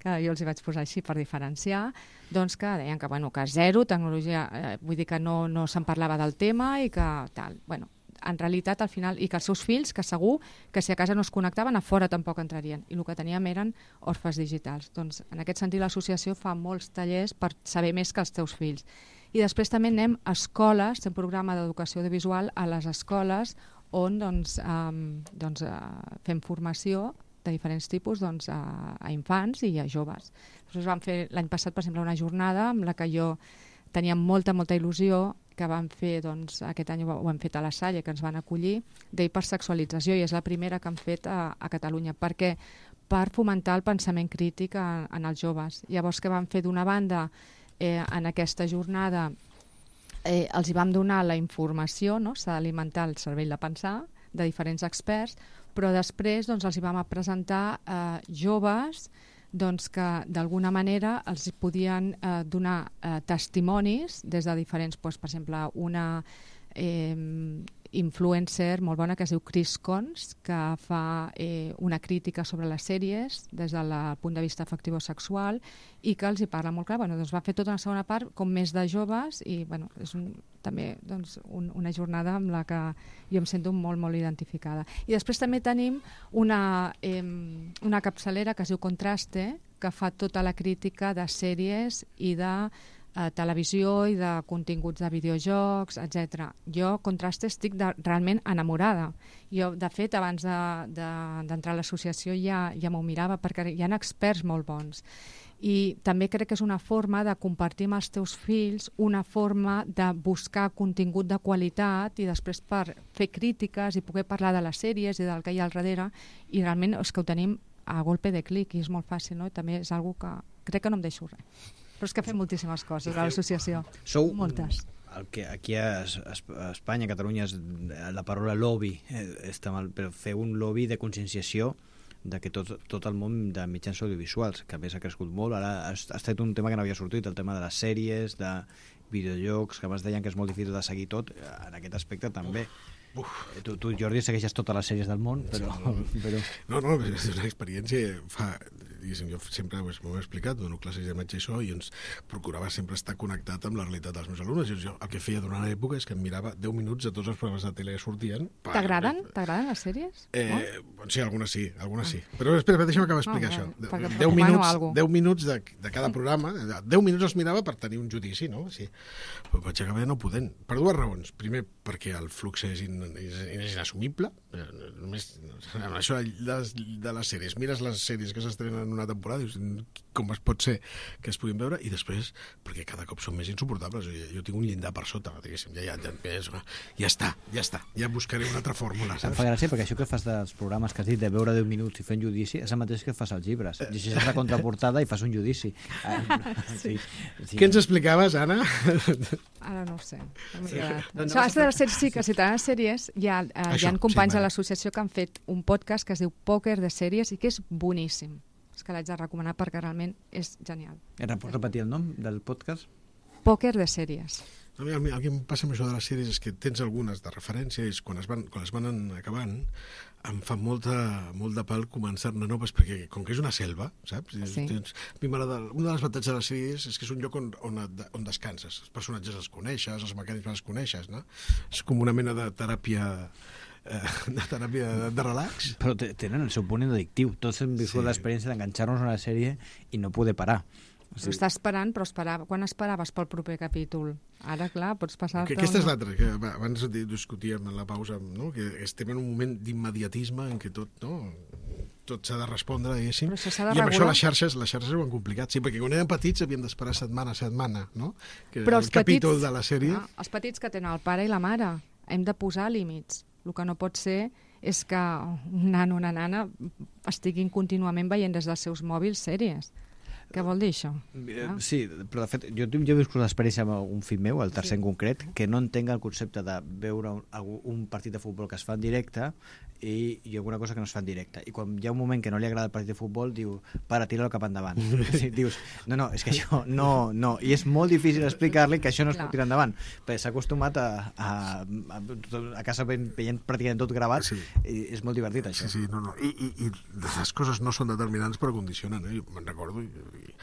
Speaker 3: Que jo els hi vaig posar així per diferenciar, doncs que deien que, bueno, que zero tecnologia, eh, vull dir que no, no se'n parlava del tema i que tal, bueno, en realitat al final, i que els seus fills, que segur que si a casa no es connectaven, a fora tampoc entrarien, i el que teníem eren orfes digitals. Doncs en aquest sentit l'associació fa molts tallers per saber més que els teus fills. I després també anem a escoles, té un programa d'educació audiovisual a les escoles on doncs, um, doncs, uh, fem formació de diferents tipus doncs, a, a infants i a joves. Després vam fer l'any passat, per exemple, una jornada amb la que jo tenia molta, molta il·lusió, que vam fer, doncs, aquest any ho hem fet a la Salle, que ens van acollir, d'hipersexualització, i és la primera que han fet a, a Catalunya, perquè per fomentar el pensament crític en, en els joves. Llavors, que van fer d'una banda, eh, en aquesta jornada, eh, els hi vam donar la informació, no? S'ha d'alimentar el cervell de pensar, de diferents experts, però després doncs, els hi vam presentar eh, joves doncs, que d'alguna manera els podien eh, donar eh, testimonis des de diferents, doncs, per exemple, una eh, influencer molt bona que es diu Chris Cons, que fa eh, una crítica sobre les sèries des del punt de vista afectivo-sexual i que els hi parla molt clar. Bueno, doncs va fer tota una segona part com més de joves i bueno, és un, també doncs, un, una jornada amb la que jo em sento molt, molt identificada. I després també tenim una, eh, una capçalera que es diu Contraste, que fa tota la crítica de sèries i de a televisió i de continguts de videojocs, etcètera. Jo, Contraste, estic de, realment enamorada. Jo, de fet, abans d'entrar de, de, a l'associació ja, ja m'ho mirava, perquè hi ha experts molt bons. I també crec que és una forma de compartir amb els teus fills, una forma de buscar contingut de qualitat i després per fer crítiques i poder parlar de les sèries i del que hi ha al darrere, i realment és que ho tenim a golpe de clic i és molt fàcil, no? I també és una que crec que no em deixo res. Però és que fem moltíssimes coses a l'associació.
Speaker 4: Sou
Speaker 3: moltes.
Speaker 4: El que aquí a, a Espanya, a Catalunya, és, la paraula lobby eh, està mal, però fer un lobby de conscienciació de que tot, tot el món de mitjans audiovisuals, que a més ha crescut molt, ara ha estat un tema que no havia sortit, el tema de les sèries, de videojocs, que abans deien que és molt difícil de seguir tot, en aquest aspecte també. Uf. Tu, tu, Jordi, segueixes totes les sèries del món, però...
Speaker 2: Sí,
Speaker 4: però...
Speaker 2: No, no, és una experiència... Fa, diguéssim, jo sempre ho he explicat, dono classes de metge i això, i ens procurava sempre estar connectat amb la realitat dels meus alumnes. Jo, el que feia durant l'època és que em mirava deu minuts de tots els programes de tele que sortien.
Speaker 3: T'agraden? T'agraden les sèries?
Speaker 2: Eh, oh? Sí, algunes sí, algunes ah. sí. Però espera, deixa'm acabar d'explicar oh,
Speaker 3: això.
Speaker 2: deu minuts, deu minuts de, de cada programa, deu minuts els mirava per tenir un judici, no? Sí. Però vaig acabar no podent, per dues raons. Primer, perquè el flux és, in, és, és inassumible. Només, això de, de les sèries, mires les sèries que s'estrenen en una temporada, dius, com es pot ser que es puguin veure, i després, perquè cada cop són més insuportables. Jo, jo tinc un llindar per sota, diguéssim, ja, ja, ja, ja està, ja està, ja buscaré una altra fórmula, saps?
Speaker 4: Em fa gràcia, perquè això que fas dels programes que has dit de veure deu minuts i fer un judici és el mateix que fas als llibres. Llegeixes la contraportada i fas un judici.
Speaker 3: Sí.
Speaker 2: Sí. Què ens explicaves, Anna?
Speaker 3: Ara no ho sé.
Speaker 2: Sí.
Speaker 3: No, no, no, de les sèries, sí, que si t'agraden sèries, hi ha, eh, hi ha companys sí, a l'associació que han fet un podcast que es diu Pòquer de sèries i que és boníssim. És que l'haig de recomanar perquè realment és genial.
Speaker 4: Pots repetir el nom del podcast?
Speaker 3: Pòquer de sèries.
Speaker 2: A mi, a mi el que em passa amb això de les sèries és que tens algunes de referència i quan es van, quan es van acabant em fa molta, molt de pal començar-ne noves perquè com que és una selva, saps?
Speaker 3: Sí.
Speaker 2: Tens, a mi m'agrada, un dels avantatges de les sèries és que és un lloc on, on, on descanses. Els personatges els coneixes, els mecanismes els coneixes, no? És com una mena de teràpia de teràpia de, de relax.
Speaker 4: Però tenen el seu punt addictiu. Tots hem viscut sí. l'experiència d'enganxar-nos a una sèrie i no poder parar.
Speaker 3: O sigui, estàs esperant, però esperava. Quan esperaves pel proper capítol? Ara, clar, pots passar-te...
Speaker 2: Aquesta una... és l'altra, que abans discutíem en la pausa, no? Que estem en un moment d'immediatisme en què tot, no? tot s'ha de respondre, diguéssim.
Speaker 3: Però això s'ha de
Speaker 2: I amb
Speaker 3: regular.
Speaker 2: això les xarxes, les xarxes ho han complicat, sí, perquè quan érem petits havíem d'esperar setmana a setmana, no? Que
Speaker 3: però
Speaker 2: el
Speaker 3: els
Speaker 2: capítol
Speaker 3: petits,
Speaker 2: de la sèrie...
Speaker 3: Ah, els petits que tenen el pare i la mare, hem de posar límits. El que no pot ser és que un nano o una nana estiguin contínuament veient des dels seus mòbils sèries. Què vol dir això?
Speaker 4: Ah. Sí, però de fet, jo, jo he viscut l'experiència amb un fill meu, el tercer sí. en concret, que no entenc el concepte de veure un, un partit de futbol que es fa en directe i, i alguna cosa que no es fa en directe. I quan hi ha un moment que no li agrada el partit de futbol, diu, para, tira-lo cap endavant. Sí, dius, no, no, és que això no, no. I és molt difícil explicar-li que això no es pot tirar endavant, perquè s'ha acostumat a, a, a, a casa veient pràcticament tot gravat sí. i és molt divertit, això.
Speaker 2: Sí, sí, no, no. I, i, i les coses no són determinants però condicionen, eh? Me'n recordo, i,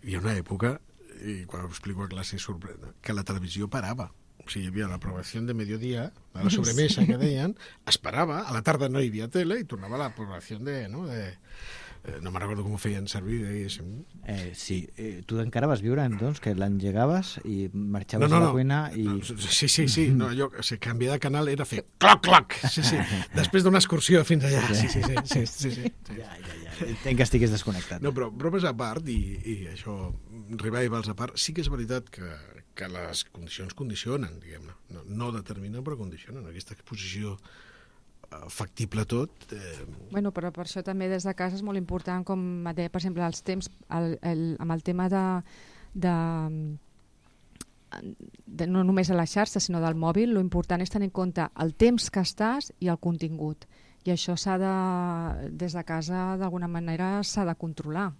Speaker 2: hi ha una època, i quan ho explico a classe sorprèn, que la televisió parava. O sigui, hi havia la programació de mediodía, a la sobremesa que deien, es parava, a la tarda no hi havia tele i tornava a la programació de... No, de eh, no me'n recordo com ho feien servir, diguéssim.
Speaker 4: Eh, sí, eh, tu encara vas viure, doncs, que l'engegaves i marxaves no, no, a la cuina i...
Speaker 2: No, sí, sí, sí, no, allò, o sigui, canviar de canal era fer cloc, cloc, sí, sí, després d'una excursió fins allà, sí, sí, sí, sí, sí, sí, sí.
Speaker 4: Ja, ja, ja, entenc que estigués desconnectat.
Speaker 2: No, però bromes a part, i, i això, revivals a part, sí que és veritat que, que les condicions condicionen, diguem-ne, no, no determinen, però condicionen, aquesta exposició factible tot. Eh...
Speaker 3: Bueno, però per això també des de casa és molt important, com deia, per exemple, els temps, el, el, amb el tema de, de de, no només a la xarxa, sinó del mòbil, lo important és tenir en compte el temps que estàs i el contingut. I això s'ha de, des de casa, d'alguna manera, s'ha de controlar.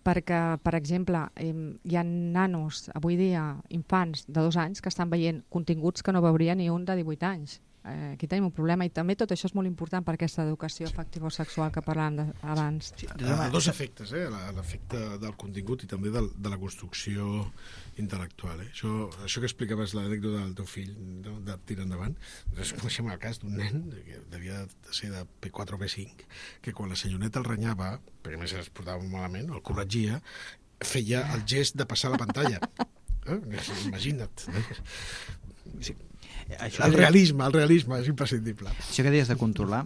Speaker 3: Perquè, per exemple, hi ha nanos, avui dia, infants de dos anys, que estan veient continguts que no veuria ni un de divuit anys. Eh, aquí tenim un problema, i també tot això és molt important per aquesta educació afectivo-sexual que parlàvem de, abans.
Speaker 2: Sí, uh, dos efectes, eh? L'efecte del contingut i també del, de la construcció intel·lectual. Eh? Això, això que explicaves, l'anècdota del teu fill, no? De tirar endavant, nosaltres coneixem el cas d'un nen que devia de ser de P quatre o P cinc, que quan la senyoreta el renyava, perquè a més es portava malament, el corregia, feia el gest de passar la pantalla. Eh? Imagina't. Eh? Sí. Això el realisme, el realisme és imprescindible.
Speaker 4: Això que deies de controlar,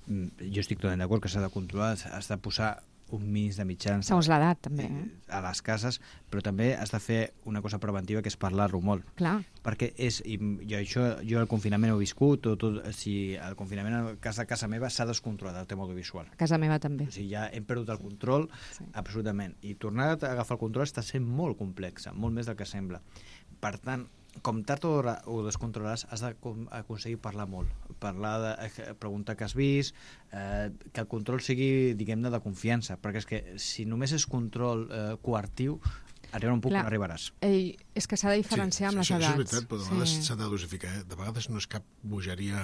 Speaker 4: jo estic totalment d'acord que s'ha de controlar, has de posar un mínim de mitjans
Speaker 3: segons l'edat, també, eh?
Speaker 4: a les cases, però també has de fer una cosa preventiva, que és parlar-ho molt.
Speaker 3: Clar.
Speaker 4: Perquè és, i jo, això, jo el confinament ho he viscut, o tot, si el confinament a casa, casa meva s'ha descontrolat el tema audiovisual.
Speaker 3: A casa meva també.
Speaker 4: O sigui, ja hem perdut el control, sí. Absolutament. I tornar a agafar el control està sent molt complexa, molt més del que sembla. Per tant, com tard o d'hora ho descontrolaràs, has d'aconseguir parlar molt, parlar de, preguntar què has vist, eh, que el control sigui, diguem-ne, de confiança, perquè és que si només és control eh, coertiu, arribarà un punt que no arribaràs.
Speaker 3: Ei, és que s'ha de diferenciar sí, amb les
Speaker 2: això,
Speaker 3: edats.
Speaker 2: Això és veritat, però de vegades
Speaker 3: sí.
Speaker 2: s'ha de dosificar. Eh? De vegades no és cap bogeria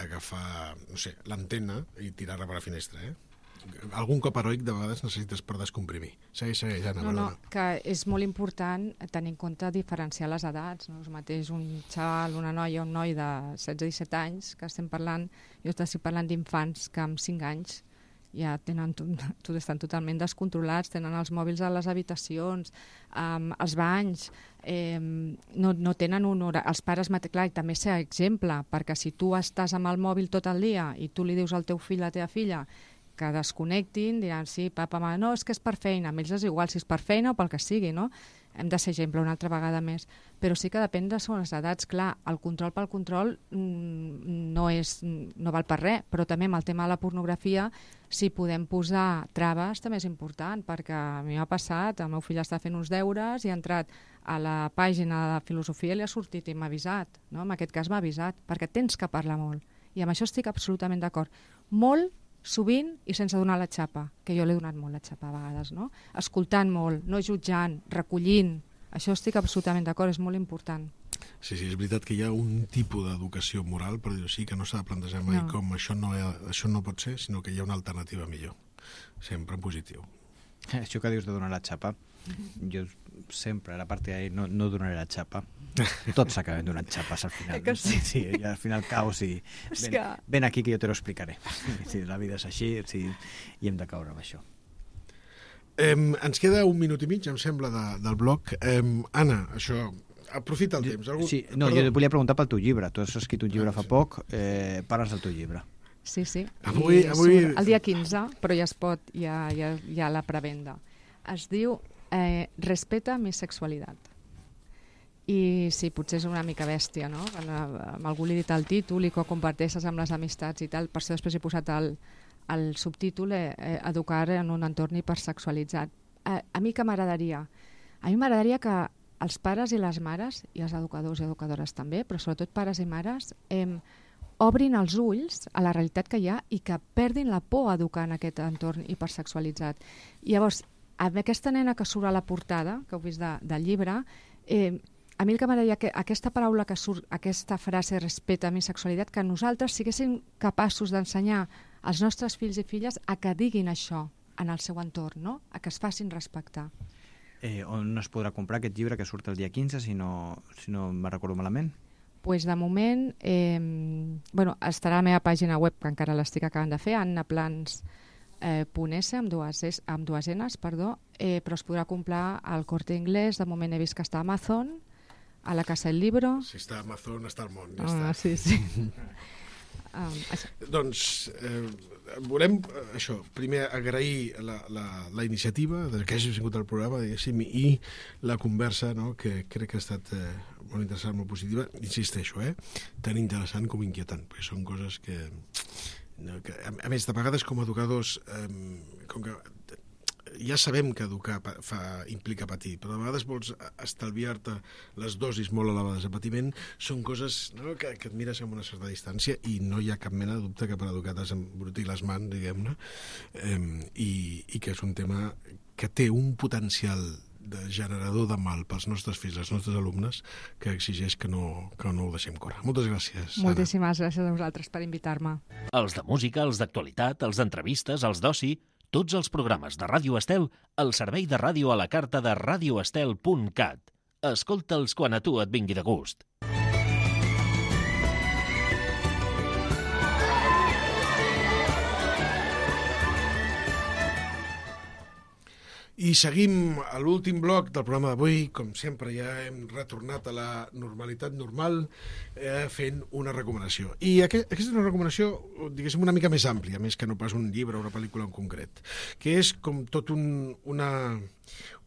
Speaker 2: agafar, no sé, l'antena i tirar-la per la finestra, eh? Algun cop heroic de vegades necessites per descomprimir. Segueix, segueix, Anna.
Speaker 3: No, no, que és molt important tenir en compte diferenciar les edats. No? És mateix un xaval, una noia, un noi de setze a disset anys, que estem parlant, jo estic parlant d'infants que amb cinc anys ja tenen, tot, estan totalment descontrolats, tenen els mòbils a les habitacions, um, els banys, eh, no, no tenen un hora. Els pares, clar, i també ser exemple, perquè si tu estàs amb el mòbil tot el dia i tu li dius al teu fill, a la teva filla, que desconnectin, diran, sí, papa, mama, no, és que és per feina, a ells és igual si és per feina o pel que sigui, no? Hem de ser exemple una altra vegada més. Però sí que depèn de les edats, clar, el control pel control no, és, no val per res, però també amb el tema de la pornografia, si podem posar traves, també és important, perquè a mi m'ha passat, el meu fill està fent uns deures i ha entrat a la pàgina de filosofia i li ha sortit i m'ha avisat, no? En aquest cas m'ha avisat, perquè tens que parlar molt. I amb això estic absolutament d'acord. Molt, sovint i sense donar la xapa, que jo l'he donat molt la xapa a vegades, no? Escoltant molt, no jutjant, recollint, això estic absolutament d'acord, és molt important.
Speaker 2: Sí, sí, és veritat que hi ha un tipus d'educació moral, per dir-ho així, que no s'ha de plantejar mai no. com això no, ha, això no pot ser, sinó que hi ha una alternativa millor, sempre en positiu.
Speaker 4: Això que dius de donar la xapa, jo sempre, a la part d'ahir, no, no donaré la xapa. Tots s'acaben donant xapes al final.
Speaker 3: Que sí?
Speaker 4: Sí, i al final caus i ven, que... ven aquí que jo te lo explicaré. Sí, la vida és així sí, i hem de caure amb això.
Speaker 2: Eh, ens queda un minut i mig, em sembla, de, del bloc. Eh, Anna, això, aprofita el temps. Algú...
Speaker 4: Sí, no, Perdó. Jo volia preguntar pel teu llibre. Tu has escrit un llibre ah, fa sí. poc, eh, parles del teu llibre.
Speaker 3: Sí, sí.
Speaker 2: Avui, avui...
Speaker 3: El dia quinze, però ja es pot, ja, ja, ja la prevenda. Es diu eh, Respeta mi sexualitat. I sí, potser és una mica bèstia, no? Quan amb algú li he dit el títol i que ho comparteixes amb les amistats i tal, per això després he posat el, el subtítol eh, Educar en un entorn hipersexualitzat. A, a mi què m'agradaria? A mi m'agradaria que els pares i les mares, i els educadors i educadores també, però sobretot pares i mares, eh, obrin els ulls a la realitat que hi ha i que perdin la por a educar en aquest entorn hipersexualitzat. I llavors, amb aquesta nena que surt a la portada, que heu vist de, del llibre, eh, a mi el que m'agradaria que aquesta paraula que surt, aquesta frase respecte a mi sexualitat, que nosaltres siguéssim capaços d'ensenyar als nostres fills i filles a que diguin això en el seu entorn, no? A que es facin respectar.
Speaker 4: Eh, on es podrà comprar aquest llibre que surt el dia quinze, si no, si no me'n recordo malament?
Speaker 3: Pues de moment eh, bueno, estarà a la meva pàgina web, que encara l'estic acabant de fer, annaplans punt es, amb dues, amb dues enes, perdó, eh, però es podrà comprar al Corte Inglés, de moment he vist que està a Amazon, a la Casa del Libro...
Speaker 2: Si està a Amazon, està al món, ja
Speaker 3: ah,
Speaker 2: està.
Speaker 3: Sí, sí. um,
Speaker 2: doncs eh, volem, eh, això, primer agrair la, la, la iniciativa que hagis vingut al programa, diguéssim, i la conversa, no?, que crec que ha estat eh, molt interessant, molt positiva. Insisteixo, eh? Tan interessant com inquietant, perquè són coses que... No, que a, a més, de vegades com a educadors, eh, com que ja sabem que educar fa, implica patir, però a vegades vols estalviar-te les dosis molt elevades de patiment, són coses, no?, que, que et mires amb una certa distància i no hi ha cap mena de dubte que per educar t'has embrutir les mans, diguem-ne, eh, i, i que és un tema que té un potencial de generador de mal pels nostres fills, els nostres alumnes, que exigeix que no, que no ho deixem córrer. Moltes gràcies, Anna.
Speaker 3: Moltíssimes gràcies a vosaltres per invitar-me.
Speaker 7: Els de música, els d'actualitat, els d'entrevistes, els d'oci, tots els programes de Ràdio Estel al servei de ràdio a la carta de radio estel punt cat. Escolta'ls quan a tu et vingui de gust.
Speaker 2: I seguim a l'últim bloc del programa d'avui. Com sempre, ja hem retornat a la normalitat normal eh, fent una recomanació. I aquest, aquesta és una recomanació, diguéssim, una mica més àmplia, més que no pas un llibre o una pel·lícula en concret, que és com tot un, una,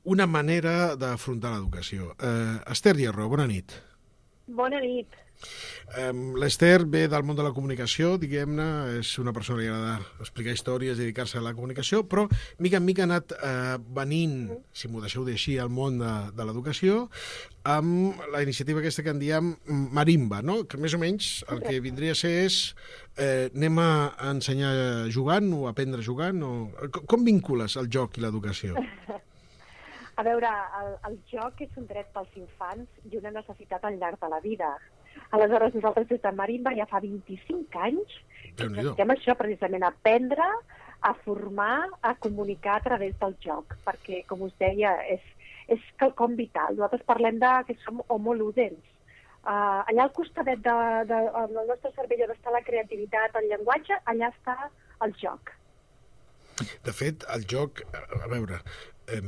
Speaker 2: una manera d'afrontar l'educació. Eh, Esther Hierro, bona nit.
Speaker 8: Bona nit.
Speaker 2: Um, L'Esther ve del món de la comunicació, diguem-ne, és una persona que li agrada explicar històries, dedicar-se a la comunicació, però mica en mica ha anat uh, venint, si m'ho deixeu dir així, al món de, de l'educació, amb la iniciativa aquesta que en diem Marimba, no?, que més o menys el que vindria a ser és eh, anem a ensenyar jugant o aprendre jugant, o com vincules el joc i l'educació?
Speaker 8: A veure, el, el joc és un dret pels infants i una necessitat al llarg de la vida. Aleshores, nosaltres des de Marimba ja fa vint-i-cinc anys que necessitem això, precisament, aprendre, a formar, a comunicar a través del joc, perquè, com us deia, és, és quelcom vital. Nosaltres parlem de que som homo ludens. Uh, allà al costadet de, de, del nostre cervell on està la creativitat, el llenguatge, allà està el joc.
Speaker 2: De fet, el joc, a veure, eh,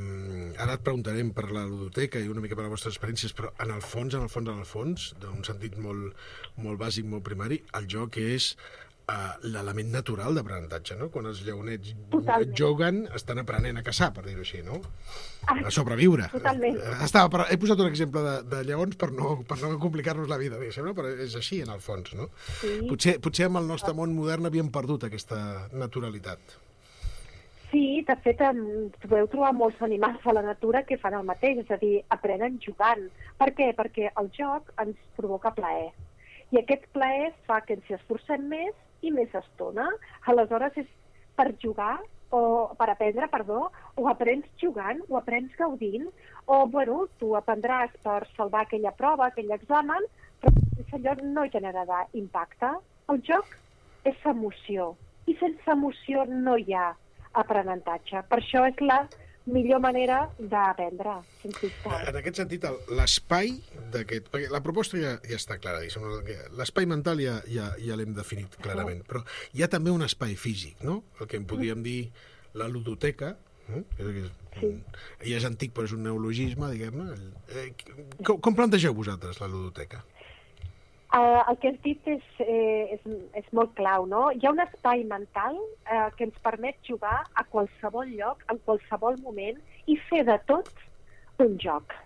Speaker 2: ara et preguntarem per la ludoteca i una mica per les vostres experiències, però en el fons, en el fons, en el fons, d'un sentit molt, molt bàsic, molt primari, el joc és uh, l'element natural d'aprenentatge, no? Quan els lleonets Totalment. juguen, estan aprenent a caçar, per dir-ho així, no? A sobreviure.
Speaker 8: Totalment.
Speaker 2: Estava, per, he posat un exemple de, de lleons per no, per no complicar-nos la vida, no? Però és així, en el fons, no?
Speaker 8: Sí.
Speaker 2: Potser, potser amb el nostre món modern havíem perdut aquesta naturalitat.
Speaker 8: Sí, de fet, podeu trobar molts animals a la natura que fan el mateix, és a dir, aprenen jugant. Per què? Perquè el joc ens provoca plaer. I aquest plaer fa que ens esforcem més i més estona. Aleshores, és per jugar, o per aprendre, perdó, o aprens jugant, o aprens gaudint, o, bueno, tu aprendràs per salvar aquella prova, aquell examen, però allò no generarà impacte. El joc és emoció, i sense emoció no hi ha aprenentatge. Per això és la millor manera d'aprendre, sens dubte.
Speaker 2: En aquest sentit, l'espai d'aquest... Perquè la proposta ja, ja està clara, l'espai mental ja, ja, ja l'hem definit clarament, però hi ha també un espai físic, no? El que en podríem dir la ludoteca, eh? Sí. Ja és antic, però és un neologisme, diguem-ne. Com, com plantegeu vosaltres la ludoteca?
Speaker 8: Uh, el que has dit és, eh, és, és molt clau, no? Hi ha un espai mental eh, que ens permet jugar a qualsevol lloc, en qualsevol moment, i fer de tot un joc.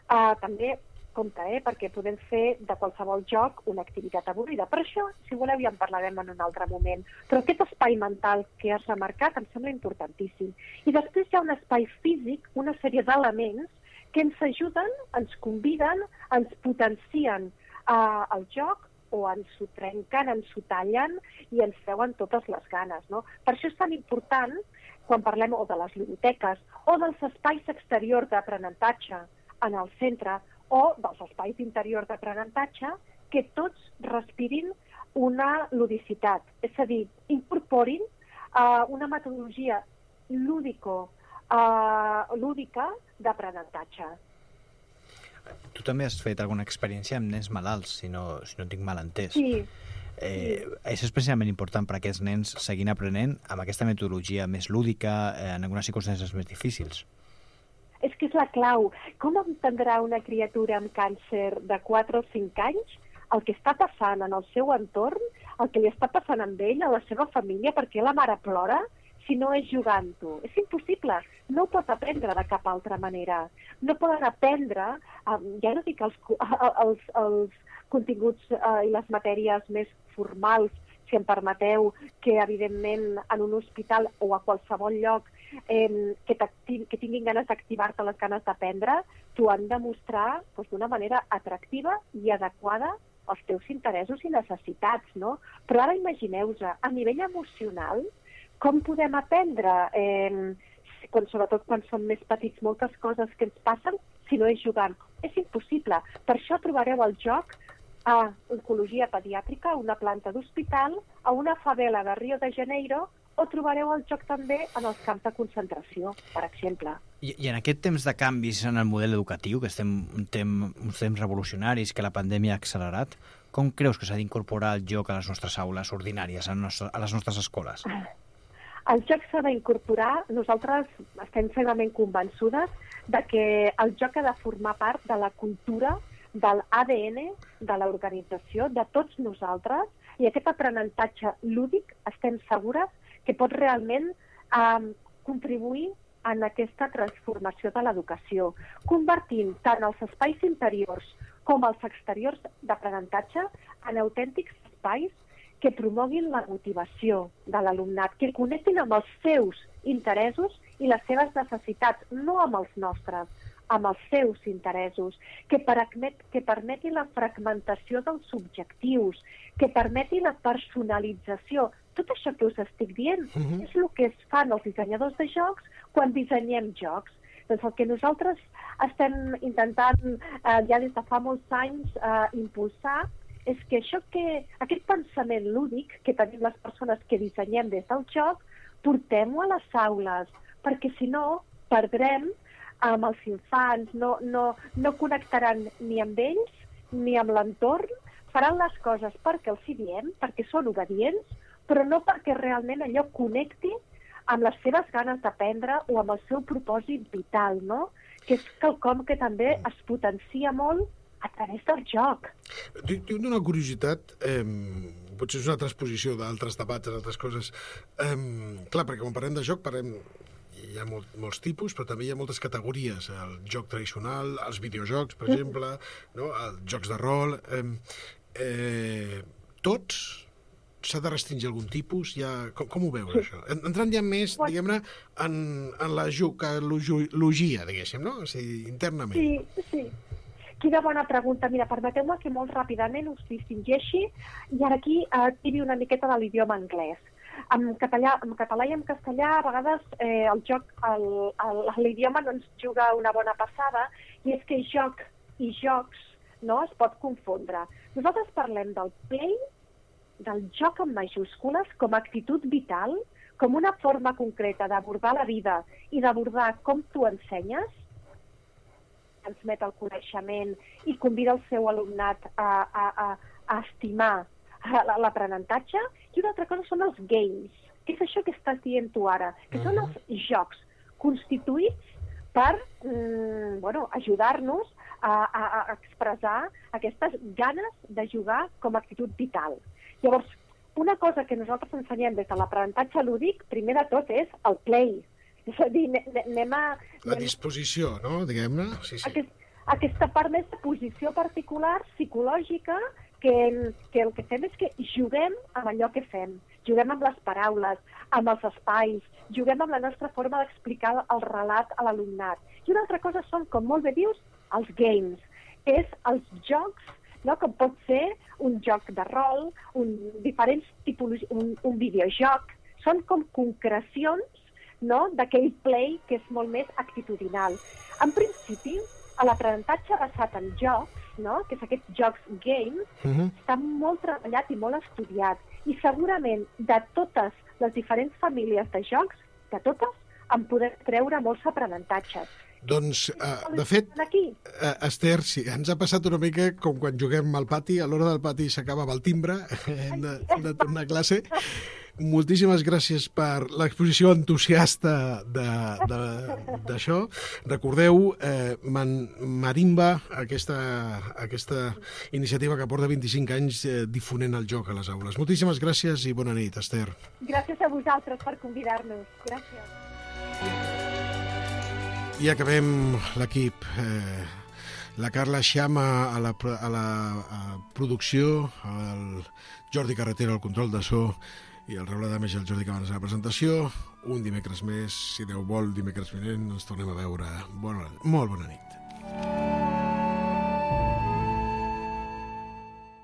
Speaker 8: Uh, també, compte, eh, perquè podem fer de qualsevol joc una activitat avorrida. Per això, si voleu, ja en parlarem en un altre moment. Però aquest espai mental que has remarcat em sembla importantíssim. I després hi ha un espai físic, una sèrie d'elements que ens ajuden, ens conviden, ens potencien Uh, el joc, o ens ho trenquen, ens ho tallen i ens treuen totes les ganes, no? Per això és tan important, quan parlem o de les biblioteques o dels espais exteriors d'aprenentatge en el centre o dels espais interiors d'aprenentatge, que tots respirin una ludicitat, és a dir, incorporin uh, una metodologia lúdico, uh, lúdica d'aprenentatge.
Speaker 4: Tu també has fet alguna experiència amb nens malalts, si no, si no tinc mal entès.
Speaker 8: Sí.
Speaker 4: Eh, sí. És especialment important per a aquests nens seguint aprenent amb aquesta metodologia més lúdica eh, en algunes circumstàncies més difícils.
Speaker 8: És que és la clau. Com entendrà una criatura amb càncer de quatre o cinc anys el que està passant en el seu entorn, el que li està passant amb ell, a la seva família, perquè la mare plora, si no és jugant-ho? És impossible. No ho pot aprendre de cap altra manera. No poden aprendre, um, ja no dic els, els, els continguts uh, i les matèries més formals, si em permeteu, que evidentment en un hospital o a qualsevol lloc eh, que, que tinguin ganes d'activar-te les ganes d'aprendre, t'ho han de mostrar doncs, d'una manera atractiva i adequada als teus interessos i necessitats, no? Però ara imagineu-vos, a nivell emocional, com podem aprendre, eh, quan, sobretot quan som més petits, moltes coses que ens passen, si no és jugant. És impossible. Per això trobareu el joc a oncologia pediàtrica, a una planta d'hospital, a una favela de Rio de Janeiro, o trobareu el joc també en els camps de concentració, per exemple.
Speaker 4: I, i en aquest temps de canvis en el model educatiu, que estem un temps, uns temps revolucionaris que la pandèmia ha accelerat, com creus que s'ha d'incorporar el joc a les nostres aules ordinàries, a, nostre, a les nostres escoles?
Speaker 8: El joc s'ha d'incorporar. Nosaltres estem fermament convençudes de que el joc ha de formar part de la cultura, del A D N de l'organització, de tots nosaltres, i aquest aprenentatge lúdic estem segures que pot realment eh, contribuir en aquesta transformació de l'educació, convertint tant els espais interiors com els exteriors d'aprenentatge en autèntics espais que promoguin la motivació de l'alumnat, que connectin amb els seus interessos i les seves necessitats, no amb els nostres, amb els seus interessos, que, permet, que permeti la fragmentació dels objectius, que permeti la personalització. Tot això que us estic dient uh-huh. és el que es fan els dissenyadors de jocs quan dissenyem jocs. Doncs el que nosaltres estem intentant eh, ja des de fa molts anys eh, impulsar és que això que, aquest pensament lúdic que tenim les persones que dissenyem des del joc, portem-ho a les aules, perquè si no perdrem amb els infants, no, no, no connectaran ni amb ells ni amb l'entorn, faran les coses perquè els hi diem, perquè són obedients, però no perquè realment allò connecti amb les seves ganes d'aprendre o amb el seu propòsit vital, no? Que és quelcom que també es potencia molt a través del joc.
Speaker 2: Tinc una curiositat, eh, potser és una transposició d'altres debats, d'altres coses. Eh, clar, perquè quan parlem de joc, parlem, hi ha molt, molts tipus, però també hi ha moltes categories. El joc tradicional, els videojocs, per exemple, no? Els jocs de rol... Eh, eh, tots s'ha de restringir algun tipus? Ja, com, com ho veus, sí. això? Entrant ja més, diguem-ne, en, en la jucalogia, diguéssim, no? O sigui, internament.
Speaker 8: Sí, sí. Quina bona pregunta. Mira, permeteu-me que molt ràpidament us distingeixi i ara aquí eh, tiri una miqueta de l'idioma anglès. En català, en català i en castellà, a vegades eh, el joc, el, el, l'idioma no ens juga una bona passada, i és que joc i jocs no es pot confondre. Nosaltres parlem del play, del joc amb majúscules, com a actitud vital, com una forma concreta d'abordar la vida i d'abordar com tu ensenyes, transmet el coneixement i convida el seu alumnat a, a, a, a estimar l'aprenentatge. I una altra cosa són els games, que és això que estàs dient tu ara, que uh-huh. són els jocs constituïts per mm, bueno, ajudar-nos a, a, a expressar aquestes ganes de jugar com a actitud vital. Llavors, una cosa que nosaltres ensenyem des de l'aprenentatge lúdic, primer de tot, és el play. És a dir, anem a...
Speaker 2: La disposició, no?, diguem-ne. Sí, sí.
Speaker 8: Aquest, aquesta part més de posició particular, psicològica, que, que el que fem és que juguem amb allò que fem. Juguem amb les paraules, amb els espais, juguem amb la nostra forma d'explicar el relat a l'alumnat. I una altra cosa són, com molt bé dius, els games, que és els jocs, no? Com pot ser un joc de rol, un, diferents tipologies, un, un videojoc. Són com concrecions, no?, d'aquell play que és molt més actitudinal. En principi, l'aprenentatge basat en jocs, no?, que és aquests jocs games, uh-huh. està molt treballat i molt estudiat. I segurament de totes les diferents famílies de jocs, de totes, en podem treure molts aprenentatges.
Speaker 2: Doncs, uh, de fet, uh, Esther, sí, ens ha passat una mica com quan juguem al pati, a l'hora del pati s'acaba el timbre, hem de, hem de tornar a classe. Moltíssimes gràcies per l'exposició entusiasta d'això. Recordeu, eh, Man, Marimba, aquesta, aquesta iniciativa que porta vint-i-cinc anys eh, difonent el joc a les aules. Moltíssimes gràcies i bona nit, Esther.
Speaker 8: Gràcies a vosaltres per convidar-nos. Gràcies.
Speaker 2: I acabem l'equip. Eh, la Carla Xama a la, a la a producció, el Jordi Carretera al control de so i el Raül Adames i el Jordi Cabanes a la presentació. Un dimecres més, si Déu vol, dimecres vinent ens tornem a veure. Bona, molt bona nit.